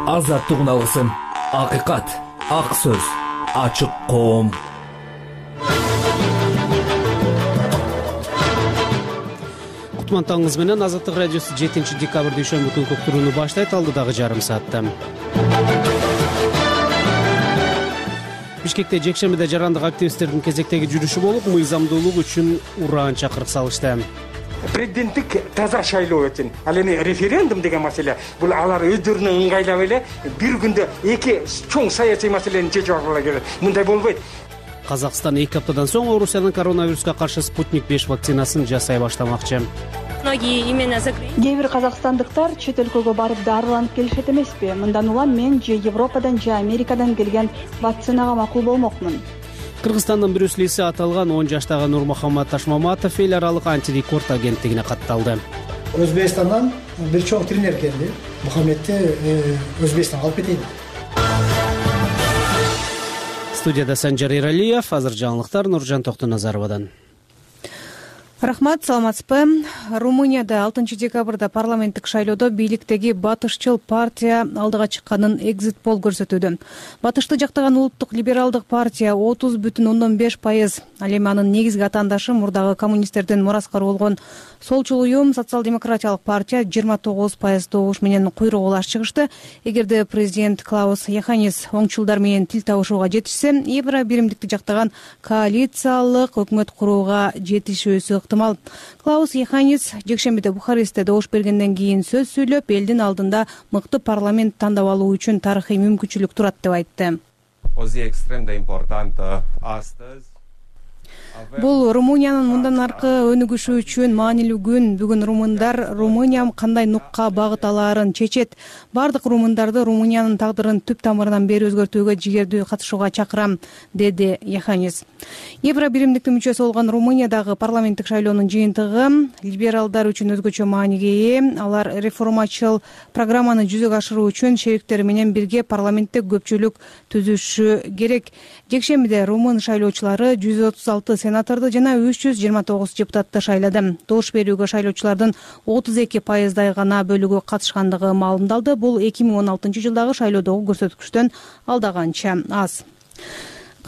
Азаттыгын алгысың. Акыйкат, ак сөз, ачык коом. Кутмантаңыз менен Азаттык радиосу 7-декабрь дүйшөмбү күнкү уктурууну баштайт. Алдыдагы жарым саатта Бишкекте жекшембиде жарандык активисттердин кезектеги жүрүшү болуп, мыйзамдуулук үчүн ураан чакырык салышты. Президенттик таза шайлоо үчүн ал эми референдум деген маселе бул алар өздөрүнө ыңгайлап эле бир күндө эки чоң саясий маселени чечип алгыла керек. Мындай болбойт. Казакстан 2 аптадан соң Орусиянын коронавируска каршы Спутник 5 вакцинасын жасай баштамакчы. Кээ бир казакстандыктар чет өлкөгө барып дарыланып келишет эмеспи? Мындан улам мен же Европадан же Америкадан келген вакцинага макул болмокмун. Кыргызстандын Брюслиси аталган 10 жаштагы Нурмухаммад Ташмаматов эл аралык антирекорд агенттигине катталды. Өзбекстандан бир чоң тренер келди. Мухаммедти Өзбекстанга алып кетейин. Студияда Санжар Иралиев, азыр жаңылыктар Нуржан Токтоназаровадан. Рахмат, саламатсызбы? Румынияда 6 декабрда парламенттик шайлоодо бийликтеги батышчыл партия алдыга чыкканын экзит пол көрсөтүүдө. Батышты жактаган улуттук либералдык партия 30,5%, ал эми анын негизги атаандашы мурдагы коммунисттердин мураскары болгон солчул уюм социал-демократиялык партия 29% добуш менен куйрук улаш чыгышты. Эгерде президент Клаус Йоханнис оңчулдар менен тил табышууга жетишсе, Евро биримдикти жактаган коалициялык өкмөт курууга жетишүүсү ыктымал. Клаус Йоханнис жекшембиде Бухарестте добуш бергенден кийин сөз сүйлөп, элдин алдында мыкты парламент тандап алуу үчүн тарыхый мүмкүнчүлүк турат деп айтты. Бул Румыниянын мындан аркы өнүгүшү үчүн маанилүү күн. Бүгүн румындар Румыния кандай нукка багыт алаарын чечет. Бардык румындарды Румыниянын тагдырын түп тамырынан бери өзгөртүүгө жигердүү катышууга чакырам, деди Йоханнис. Евро биримдиктин мүчөсү болгон Румыниядагы парламенттик шайлоонун жыйынтыгы либералдар үчүн өзгөчө мааниге ээ. Алар реформачыл программаны жүзөгө ашыруу үчүн шериктери менен бирге парламентте көпчүлүк түзүшү керек. Жекшембиде румын шайлоочулары 136 сенаторду жана 329 депутатты шайлады. Добуш берүүгө шайлоочулардын 32% гана бөлүгү катышкандыгы маалымдалды. Бул 2016 жылдагы шайлоодогу көрсөткүчтөн алдаганча аз.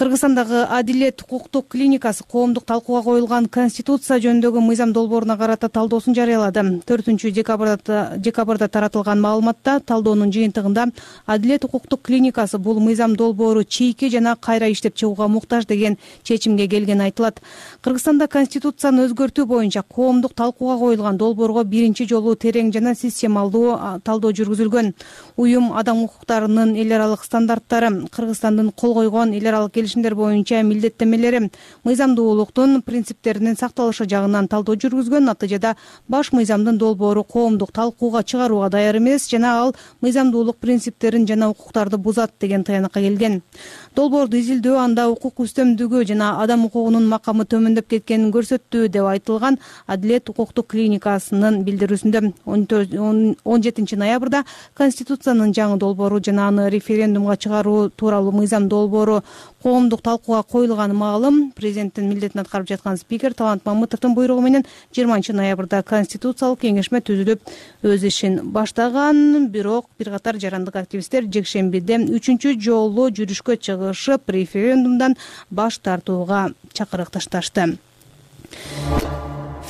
Кыргызстандагы Адилет укуктук клиникасы коомдук талкууга коюлган Конституция жөнүндөгү мыйзам долбооруна карата талдоосун жарыялады. 4-декабрда таратылган маалыматта талдоонун жыйынтыгында Адилет укуктук клиникасы бул мыйзам долбоору чийки жана кайра иштеп чыгууга муктаж деген чечимге келгени айтылат. Кыргызстанда Конституцияны өзгөртүү боюнча коомдук талкууга коюлган долбоорго биринчи жолу терең жана системалдуу талдоо жүргүзүлгөн. Уюм адам укуктарынын эл аралык стандарттары, Кыргызстандын кол койгон эл аралык келишимдер боюнча милдеттенмелери, мыйзамдуулуктун принциптеринин сакталышы жагынан талдоо жүргүзгөн. Натыйжада баш мыйзамдын долбоору коомдук талкууга чыгарууга даяр эмес жана ал мыйзамдуулук принциптерин жана укуктарды бузат деген таянакка келген. Долбоорду изилдөө анда укук үстөмдүгү жана адам укугунун макамы төмөндөп кеткенин көрсөттү деп айтылган Адилет укуктук клиникасынын билдирүүсүндө. 17 ноябрда Конституциянын жаңы долбоору жана аны референдумга чыгаруу тууралуу мыйзам долбоору коомдук талкууга коюлганы маалым. Президенттин милдетин аткарып жаткан спикер Талант Мамытовдун буйругу менен 20 ноябрда Конституциялык кеңешме түзүлүп өз ишин баштаган. Бирок бир катар жарандык активисттер жекшембиде 3-чү жолу жүрүшкө чыгышып, референдумдан баш тартууга чакырык ташташты.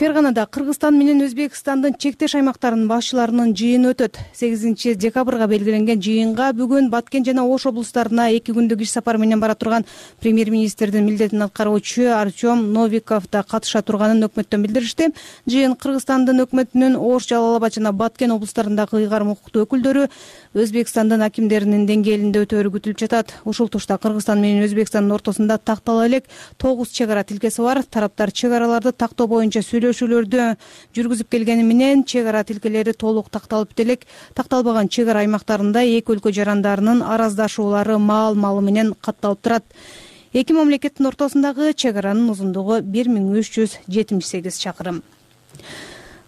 Ферганада Кыргызстан менен Өзбекстандын чектеш аймактарынын башчыларынын жыйыны өтөт. 8 декабрга белгиленген жыйынга бүгүн Баткен жана Ош облустарына 2 күндүк иш сапар менен бара турган премьер-министрдин милдетин аткаруучу Артем Новиков да катыша турганын өкмөттөн билдиришти. Жыйын Кыргызстандын өкмөтүнүн Ош, Жалал Абад жана Баткен облустарындагы ыйгарым укуктуу өкүлдөрү, Өзбекстандын акимдеринин деңгээлинде өтөөрү күтүлүп жатат. Ушул тушта Кыргызстан менен Өзбекстандын ортосунда тактала элек 9 чек ара тилкеси бар. Тараптар чек араларды тактоо боюнча сүйлөшүүлөрдү жүргүзүп келгени менен чек ара тилкелери толук такталып элек. Такталбаган чек ара аймактарында эки өлкө жарандарынын араздашуулары маал-малы менен катталып турат. Эки мамлекеттин ортосундагы чек аранын узундугу 1378 чакырым.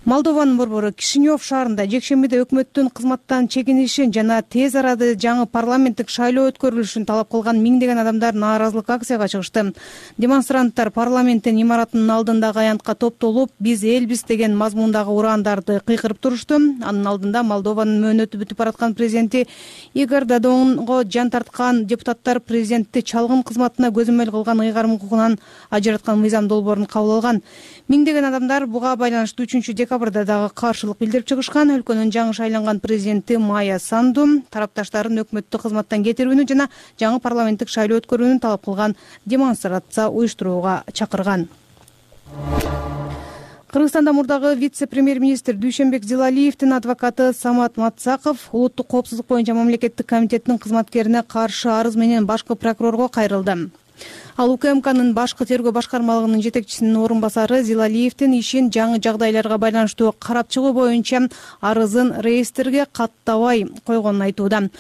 Молдованын борбору Кишинев шаарында жекшембиде өкмөттүн кызматтан чегинишин жана тез арада жаңы парламенттик шайлоо өткөрүлүшүн талап кылган миңдеген адамдар нааразылык акцияга чыгышты. Демонстранттар парламенттин имаратынын алдындагы аянтка топтолуп, биз элбиз деген мазмундагы урандарды кыйкырып турушту. Анын алдында Молдованын мөөнөтү бүтүп бараткан президенти Игорь Додонго жан тарткан депутаттар президентти чалгын кызматына көзөмөл кылган ыйгарым укугунан ажыраткан мыйзам долбоорун кабыл алган. Миңдеген адамдар буга байланыштуу 3-декабрда дагы каршылык билдирип чыгышкан. Өлкөнүн жаңы шайланган президенти Майя Санду тарапташтарын өкмөттү кызматтан кетирүүнү жана жаңы парламенттик шайлоо өткөрүүнү талап кылган демонстрация уюштурууга чакырган. Кыргызстанда мурдагы вице-премьер-министр Дүйшөнбек Зилалиевдин адвокаты Самат Матсаков улуттук коопсуздук боюнча мамлекеттик комитеттин кызматкерине каршы арыз менен башкы прокурорго кайрылды. Ал УКМКнын башкы тергөө башкармалыгынын жетекчисинин орун басары Зилалиевдин ишин жаңы жагдайларга байланыштуу карап чыгуу боюнча арызын реестрге каттабай койгонун айтууда.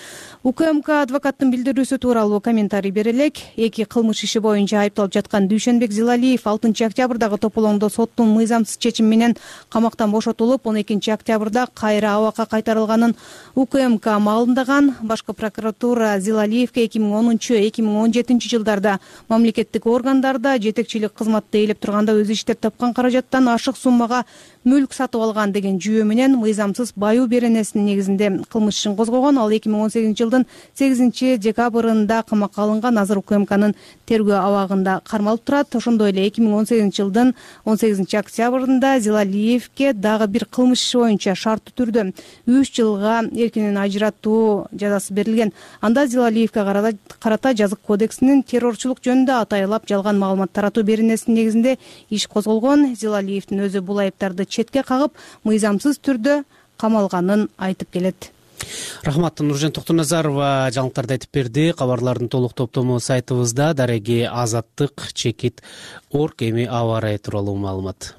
УКМК адвокаттын билдирүүсү тууралуу комментарий бере элек. Эки кылмыш иши боюнча айыпталып жаткан Дүйшөнбек Зилалиев 6-октябрдагы тополоңдо соттун мыйзамсыз чечими менен камактан бошотулуп, 12-октябрда кайра абакка кайтарылганын УКМК маалымдаган. Башкы прокуратура Зилалиевге 2010-2017 жылдарда мамлекеттик органдарда жетекчилик кызматты ээлеп турганда өзү иштеп тапкан каражаттан ашык суммага мүлк сатып алган деген жүйө менен мыйзамсыз баюу беренесинин негизинде кылмыш ишин козгогон. Ал 2018 жылдын 8-декабрында камакка алынган. Азыр УКМКнын тергөө абагында кармалып турат. Ошондой эле 2018 жылдын 18-октябрында Зилалиевге дагы бир кылмыш иши боюнча шарттуу түрдө 3 жылга эркинен ажыратуу жазасы берилген. Анда Зилалиевге карата жазык кодексинин террорчулук жөнүндө атайлап жалган маалымат таратуу беренесинин негизинде иш козголгон. Зилалиевдин өзү бул айыптарды четке кагып, мыйзамсыз түрдө камалганын айтып келет. Рахмат, Нуржан Токтоназарова жаңылыктарды айтып берди. Кабарлардын толук топтому сайтыбызда дареги azattik.org эми аба ырайы тууралуу маалымат.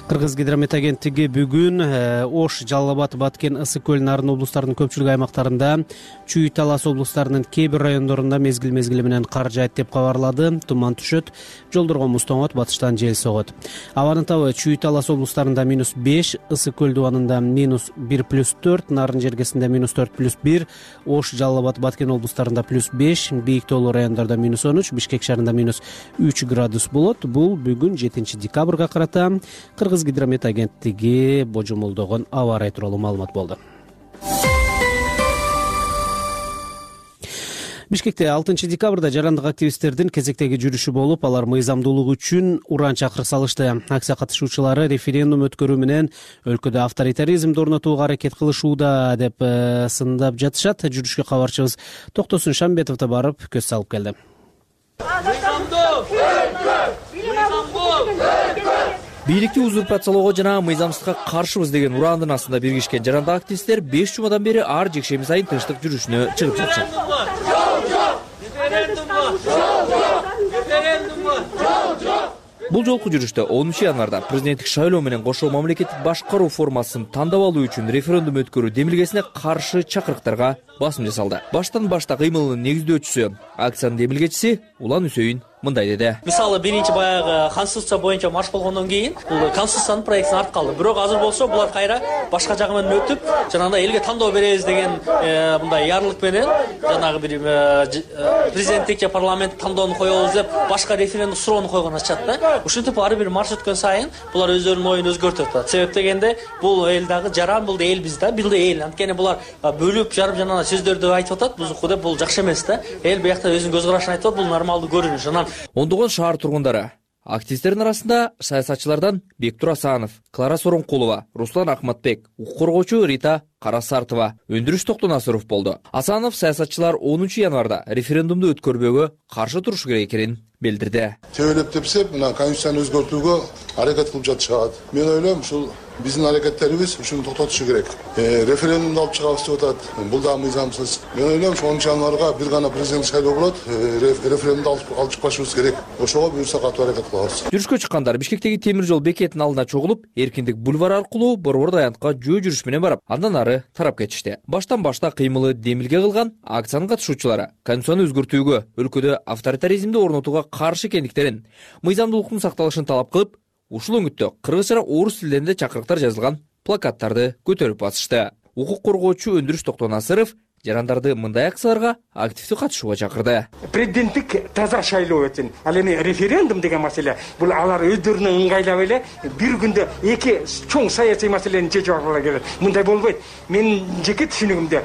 Кыргыз гидромет агенттиги бүгүн Ош, Жалал Абад, Баткен, Ысык көл, Нарын облустарынын көпчүлүк аймактарында, Чүй, Талас облустарынын кээ бир райондорунда мезгил менен кар жаайт деп кабарлады. Туман түшөт, жолдорго муз тоңот, батыштан жел согот. Абанын табы Чүй, Талас облустарында -5, Ысык көл дубанында -1+4, Нарын жергесинде -4+1, Ош, Жалал Абад, Баткен облустарында +5, бийик тоолуу райондордо -13, Бишкек шаарында -3 градус болот. Бул бүгүн 7-декабрга карата Кыргыз гидромет агенттиги божомолдогон аба ырайы тууралуу маалымат болду. Бишкекте 6-декабрда жарандык активисттердин кезектеги жүрүшү болуп, алар мыйзамдуулук үчүн уран чакырык салышты. Акция катышуучулары референдум өткөрүү менен өлкөдө авторитаризмди орнотууга аракет кылышууда деп сындап жатышат. Жүрүшкө кабарчыбыз Токтосун Шамбетов да барып көз салып келди. Бийликти узурпациялоого жана мыйзамсызга каршыбыз деген урандын астында биргишкен жарандык активисттер 5 жумадан бери ар жекшемби сайын тынчтык жүрүшүнө чыгып жатышат. Бул жолку жүрүштө 10 январда президенттик шайлоо менен кошо мамлекеттик башкаруу формасын тандап алуу үчүн референдум өткөрүү демилгесине каршы чакырыктарга басым жасалды. Баштан башта кыймылынын негиздөөчүсү, акциянын демилгечиси Улан Үсөйүн мындай деди. Мисалы биринчи баягы конституция боюнча марш болгондон кийин бул конституциянын проектин артып калды. Бирок азыр болсо булар кайра башка жагы менен өтүп, жанагындай элге тандоо беребиз деген мындай ярлык менен жанагы бир президенттик же парламенттик тандоону коебуз деп башка референдум суроону койгон атышат да. Ушинтип ар бир марш өткөн сайын булар өздөрүнүн оюн өзгөртүп атат. Себеп дегенде бул эл дагы жаран, бул да эл биз да, бул да эл. Анткени булар бөлүп жарып жанагы сөздөрдү айтып атат. Бузуку деп бул жакшы эмес да. Эл биякта өзүнүн көз карашын айтып атат, бул нормалдуу көрүнүш. Анан Ондогон шаар тургундары, активисттердин арасында саясатчылардан Бектур Асанов, Клара Соронкулова, Руслан Акматбек, укук коргоочу Рита Карасартова, Өндүрүш Токтонасыров болду. Асанов саясатчылар 10 январда референдумду өткөрбөөгө каршы турушу керек экенин билдирди. Тебелеп тепсеп, мына конституцияны өзгөртүүгө аракет кылып жатышат. Мен ойлойм, ушул биздин аракеттерибиз ушуну токтотушу керек. Референдумду алып чыгабыз деп атат. Бул да мыйзамсыз. Мен ойлойм, 10 январга бир гана президент шайлоо болот. Референдумду алып чыкпашыбыз керек. Ошого буюрса катуу аракет кылабыз. Жүрүшкө чыккандар Бишкектеги темир жол бекетинин алдына чогулуп, Эркиндик бульвары аркылуу Борбор аянтка жөө жүрүш менен барып, андан ары тарап кетишти. Баштан башта кыймылы демилге кылган акциянын катышуучулары конституцияны өзгөртүүгө, өлкөдө авторитаризмди орнотууга каршы экендиктерин, мыйзамдуулуктун сакталышын талап кылып, ушул өңүттө кыргыз жана орус тилдеринде чакырыктар жазылган плакаттарды көтөрүп басышты. Укук коргоочу Өндүрүш Токтонасыров жарандарды мындай акцияларга активдүү катышууга чакырды. Президенттик таза шайлоо өтсүн. Ал эми референдум деген маселе бул алар өздөрүнө ыңгайлап эле бир күндө эки чоң саясий маселени чечип алгыла келет. Мындай болбойт. Менин жеке түшүнүгүмдө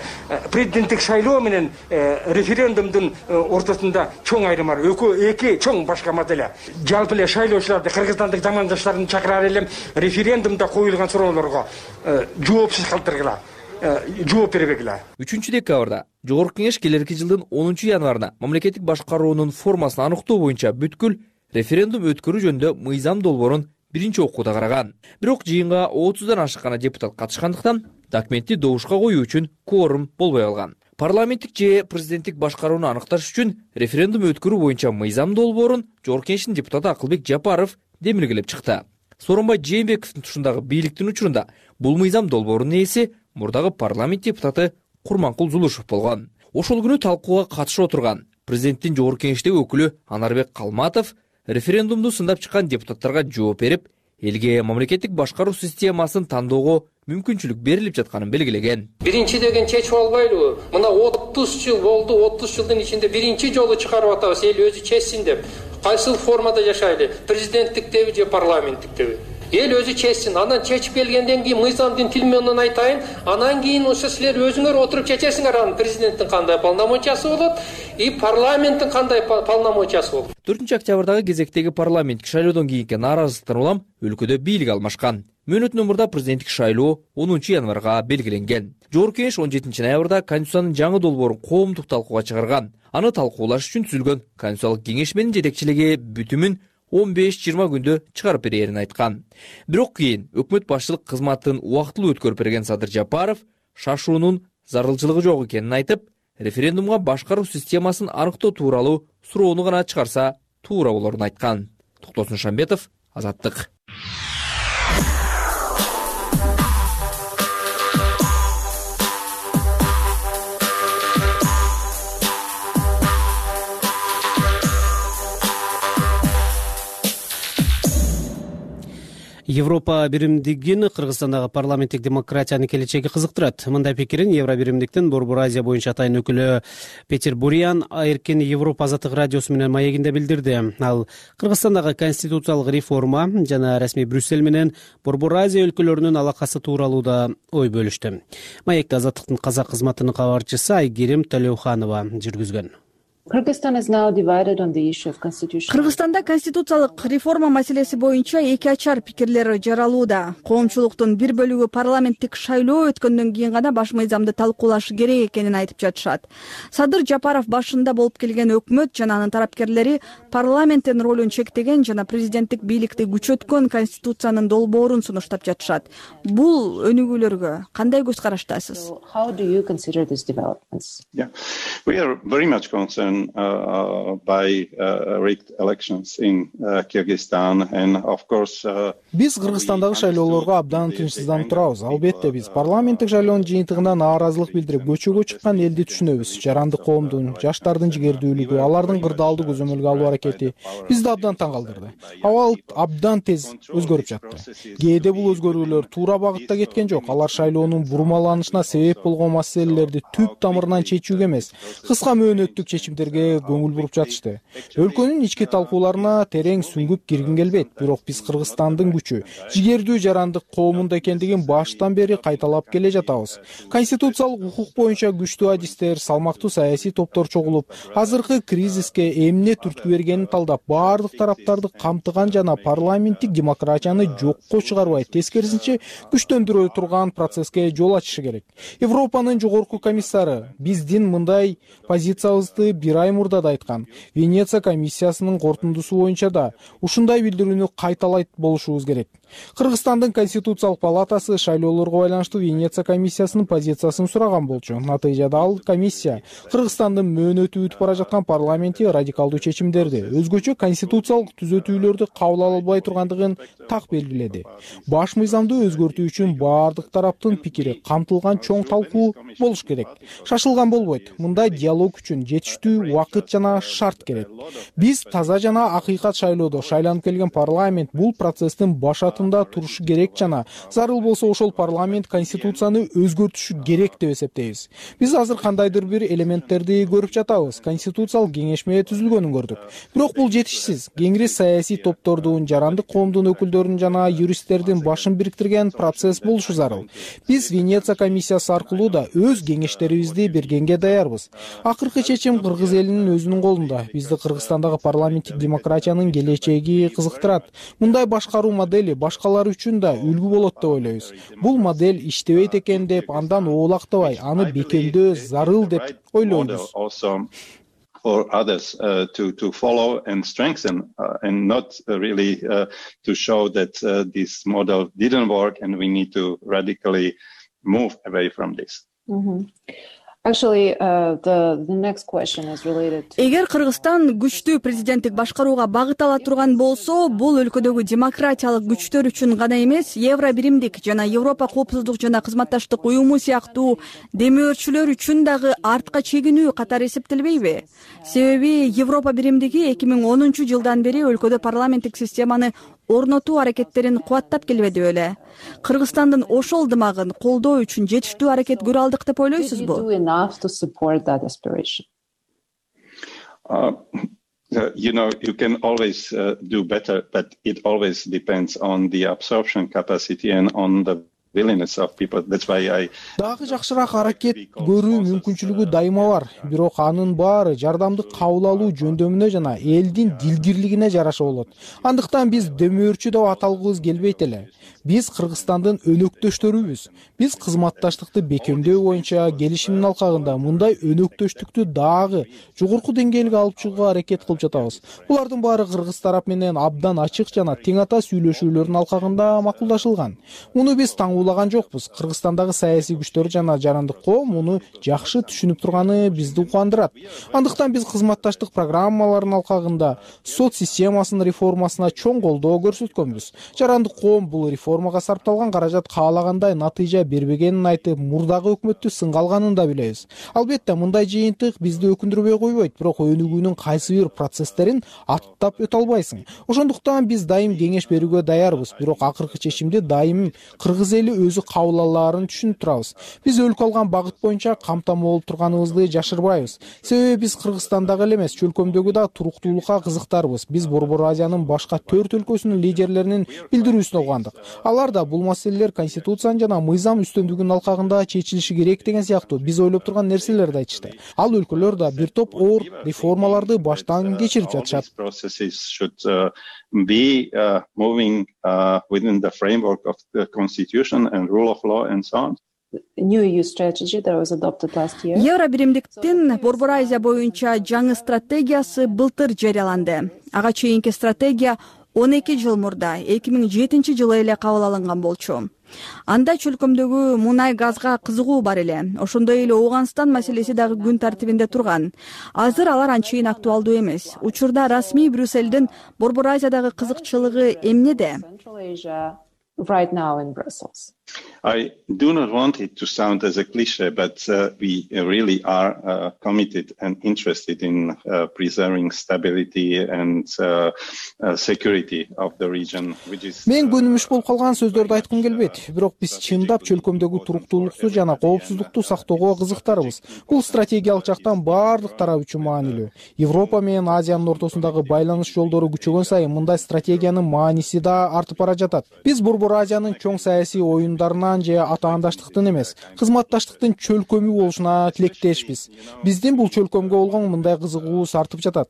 президенттик шайлоо менен референдумдун ортосунда чоң айрым бар. Эки чоң башка маселе. Жалпы эле шайлоочуларды, кыргызстандык замандаштарын чакырар элем референдумда коюлган суроолорго жоопсуз калтыргыла. Жооп бербегиле. 3-декабрда Жогорку Кеңеш келерки жылдын 10-январына мамлекеттик башкаруунун формасын аныктоо боюнча бүткүл референдум өткөрүү жөнүндө мыйзам долбоорун биринчи окууда караган. Бирок жыйынга 30дан ашык гана депутат катышкандыктан документти добушка коюу үчүн кворум болбой калган. Парламенттик же президенттик башкарууну аныкташ үчүн референдум өткөрүү боюнча мыйзам долбоорун Жогорку Кеңештин депутаты Акылбек Жапаров демилгелеп чыкты. Сооронбай Жээнбековдун тушундагы бийликтин учурунда бул мыйзам долбоорунун ээси мурдагы парламент депутаты Курманкул Зулушев болгон. Ошол күнү талкууга катышып отурган президенттин Жогорку Кеңештеги өкүлү Анарбек Калматов референдумду сындап чыккан депутаттарга жооп берип, элге мамлекеттик башкаруу системасын тандоого мүмкүнчүлүк берилип жатканын белгилеген. Биринчи деген чечип албайлыбы? Мына 30 жыл болду, 30 жылдын ичинде биринчи жолу чыгарып атабыз, эл өзү чечсин деп. Кайсыл формада жашайлы? Президенттиктеби же парламенттиктеби? Эл өзү чечсин. Анан чечип келгенден кийин мыйзамдын тили менен айтайын, анан кийин ошо силер өзүңөр отуруп чечесиңер, анан президенттин кандай полномочиясы болот, и парламенттин кандай полномочиясы болот. 4-октябрдагы кезектеги парламенттик шайлоодон кийинки нааразылыктан улам өлкөдө бийлик алмашкан. Мөөнөтүнөн мурда президенттик шайлоо 10-январга белгиленген. Жогорку Кеңеш 17 ноябрда Конституциянын жаңы долбоорун коомдук талкууга чыгарган. Аны талкуулаш үчүн түзүлгөн Конституциялык кеңеш менен жетекчилиги бүтүмүн 15-20 күндө чыгарып берерин айткан. Бирок кийин өкмөт башчылык кызматын убактылуу өткөрүп берген Садыр Жапаров шашуунун зарылчылыгы жок экенин айтып, референдумга башкаруу системасын аныктоо тууралуу суроону гана чыгарса туура болорун айткан. Токтосун Шамбетов, Азаттык. Европа биримдигин Кыргызстандагы парламенттик демократиянын келечеги кызыктырат. Мындай пикирин Евро биримдиктин Борбор Азия боюнча атайын өкүлү Петер Буриан Эркин Европа азаттык радиосу менен маегинде билдирди. Ал Кыргызстандагы конституциялык реформа жана расмий Брюссель менен Борбор Азия өлкөлөрүнүн алакасы тууралуу да ой бөлүштү. Маекти азаттыктын казак кызматынын кабарчысы Айгерим Төлөуханова жүргүзгөн. Кыргызстанда конституциялык реформа маселеси боюнча эки ачар пикирлер жаралууда. Коомчулуктун бир бөлүгү парламенттик шайлоо өткөндөн кийин гана баш мыйзамды талкуулашы керек экенин айтып жатышат. Садыр Жапаров башында болуп келген өкмөт жана анын тарапкерлери парламенттин ролун чектеген жана президенттик бийликти күчөткөн конституциянын долбоорун сунуштап жатышат. Бул өнүгүүлөргө кандай көз караштасыз? By rigged elections in Kyrgyzstan and of course биз Кыргызстандагы шайлоолорго абдан тынчсызданып турабыз. Албетте биз парламенттик шайлоонун жыйынтыгына нааразылык билдирип көчөгө чыккан элди түшүнөбүз. Жарандык коомдун, жаштардын жигердүүлүгү, алардын кырдаалды көзөмөлгө алуу аракети бизди абдан таң калтырды. Абал абдан тез өзгөрүп жатты. Кээде бул өзгөрүүлөр туура багытта кеткен жок. Алар шайлоонун бурмаланышына себеп болгон маселелерди түп тамырынан чечүүгө эмес, кыска мөөнөттүк чечимдерге көңүл буруп жатышты. Өлкөнүн ички талкууларына терең сүңгүп киргим келбейт, бирок биз Кыргызстандын күчү, жигердүү жарандык коомунда экендигин баштан бери кайталап келе жатабыз. Конституциялык укук боюнча күчтүү адистер, салмактуу саясий топтор чогулуп, азыркы кризиске эмне түрткү бергенин талдап, баардык тараптарды камтыган жана парламенттик демократияны жокко чыгарбай, тескерисинче күчтөндүрө турган процесске жол ачышы керек. Европанын жогорку комиссары биздин мындай позициябызды бир ай мурда да айткан. Венеция комиссиясынын корутундусу боюнча да ушундай билдирүүнү кайталайт болушубуз керек. Кыргызстандын конституциялык палатасы шайлоолорго байланыштуу Венеция комиссиясынын позициясын сураган болчу. Натыйжада ал комиссия Кыргызстандын мөөнөтү өтүп бара жаткан парламенти радикалдуу чечимдерди, өзгөчө конституциялык түзөтүүлөрдү кабыл ала албай тургандыгын так белгиледи. Баш мыйзамды өзгөртүү үчүн баардык тараптын пикири камтылган чоң талкуу болуш керек. Шашылган болбойт. Мындай диалог үчүн жетиштүү убакыт жана шарт керек. Биз таза жана акыйкат шайлоодо шайланып келген парламент бул процесстин башатында турушу керек жана зарыл болсо ошол парламент конституцияны өзгөртүшү керек деп эсептейбиз. Биз азыр кандайдыр бир элементтерди көрүп жатабыз. Конституциялык кеңешме түзүлгөнүн көрдүк. Бирок бул жетишсиз. Кеңири саясий топтордун, жарандык коомдун өкүлдөрүнүн жана юристтердин башын бириктирген процесс болушу зарыл. Биз Венеция комиссиясы аркылуу да өз кеңештерибизди бергенге даярбыз. Акыркы чечим кыргыз элинин өзүнүн колунда. Бизди Кыргызстандагы парламенттик демократиянын келечеги кызыктырат. Мындай башкаруу модели башкалар үчүн да үлгү болот деп ойлойбуз. Бул модель иштебейт экен деп андан оолактабай, аны бекемдөө зарыл деп ойлойбуз. For others to follow and strengthen and not really to show that this model didn't work and we need to radically move away from this. Actually, the next question is related to... Эгер Кыргызстан күчтүү президенттик башкарууга багыт ала турган болсо, бул өлкөдөгү демократиялык күчтөр үчүн гана эмес, Евро биримдик жана Европа коопсуздук жана кызматташтык уюму сыяктуу демөөрчүлөр үчүн дагы артка чегинүү катары эсептелбейби? Себеби Европа биримдиги 2010 жылдан бери өлкөдө парламенттик системаны орнотуу аракеттерин кубаттап келбеди беле? Кыргызстандын ошол дымагын колдоо үчүн жетиштүү аракет көрө алдык деп ойлойсузбу? You can always do better, but it always depends on the absorption capacity and on the willingness of people. That's why I... Дагы жакшыраак аракет көрүү мүмкүнчүлүгү дайыма бар. Бирок анын баары жардамды кабыл алуу жөндөмүнө жана элдин дилгирлигине жараша болот. Андыктан биз дөмөрчү деп аталгыбыз келбейт эле. Биз Кыргызстандын өнөктөштөрүбүз. Биз кызматташтыкты бекемдөө боюнча келишимдин алкагында мындай өнөктөштүктү дагы жогорку деңгээлге алып чыгууга аракет кылып жатабыз. Булардын баары кыргыз тарап менен абдан ачык жана тең ата сүйлөшүүлөрдүн алкагында макулдашылган. Муну биз таңуулаган жокпуз. Кыргызстандагы саясий күчтөр жана жарандык коом муну жакшы түшүнүп турганы бизди кубандырат. Андыктан биз кызматташтык программаларынын алкагында сот системасынын реформасына чоң колдоо көрсөткөнбүз. Жарандык коом бул реформага сарпталган каражат каалагандай натыйжа бербегенин айтып, мурдагы өкмөттү сынга алганын да билебиз. Албетте, мындай жыйынтык бизди өкүндүрбөй койбойт, бирок өнүгүүнүн кайсы бир процесстерин аттап өтө албайсың. Ошондуктан биз дайым кеңеш берүүгө даярбыз, бирок акыркы чечимди дайым кыргыз эли өзү кабыл алаарын түшүнүп турабыз. Биз өлкө алган багыт боюнча камтамоо болуп турганыбызды жашырбайбыз. Себеби биз Кыргызстандагы эле эмес, чөлкөмдөгү да туруктуулукка кызыктарбыз. Биз Борбор Азиянын башка 4 өлкөсүнүн лидерлеринин билдирүүсүн угандык. Алар да бул маселелер конституциянын жана мыйзам үстөмдүгүнүн алкагында чечилиши керек деген сыяктуу биз ойлоп турган нерселерди айтышты. Ал өлкөлөр да бир топ оор реформаларды баштан кечирип жатышат. Be moving within the framework of the constitution and rule of law and so on. New EU strategy that was adopted last year. Евро биримдиктин Борбор Азия боюнча жаңы стратегиясы былтыр жарыяланды. Ага чейинки стратегия 12 жыл мурда 2007 жылы эле кабыл алынган болчу. Анда чөлкөмдөгү мунай газга кызыгуу бар эле. Ошондой эле Ооганстан маселеси дагы күн тартибинде турган. Азыр алар анчейин актуалдуу эмес. Учурда расмий Брюссельдин Борбор Азиядагы кызыкчылыгы эмнеде? Right now in Brussels. I do not want it to sound as a cliche, but we really are committed and interested in preserving stability and security of the region, which is... Мен көнүмүш болуп калган сөздөрдү айткым келбейт, бирок биз чындап чөлкөмдөгү туруктуулукту жана коопсуздукту сактоого кызыктарбыз. Бул стратегиялык жактан баардык тарап үчүн маанилүү. Европа менен Азиянын ортосундагы байланыш жолдору күчөгөн сайын мындай стратегиянын мааниси да артып бара жатат. Биз Борбор Азиянын чоң саясий оюндарынан же атаандаштыктын эмес, кызматташтыктын чөлкөмү болушуна тилектешпиз. Биздин бул чөлкөмгө болгон мындай кызыгуубуз артып жатат.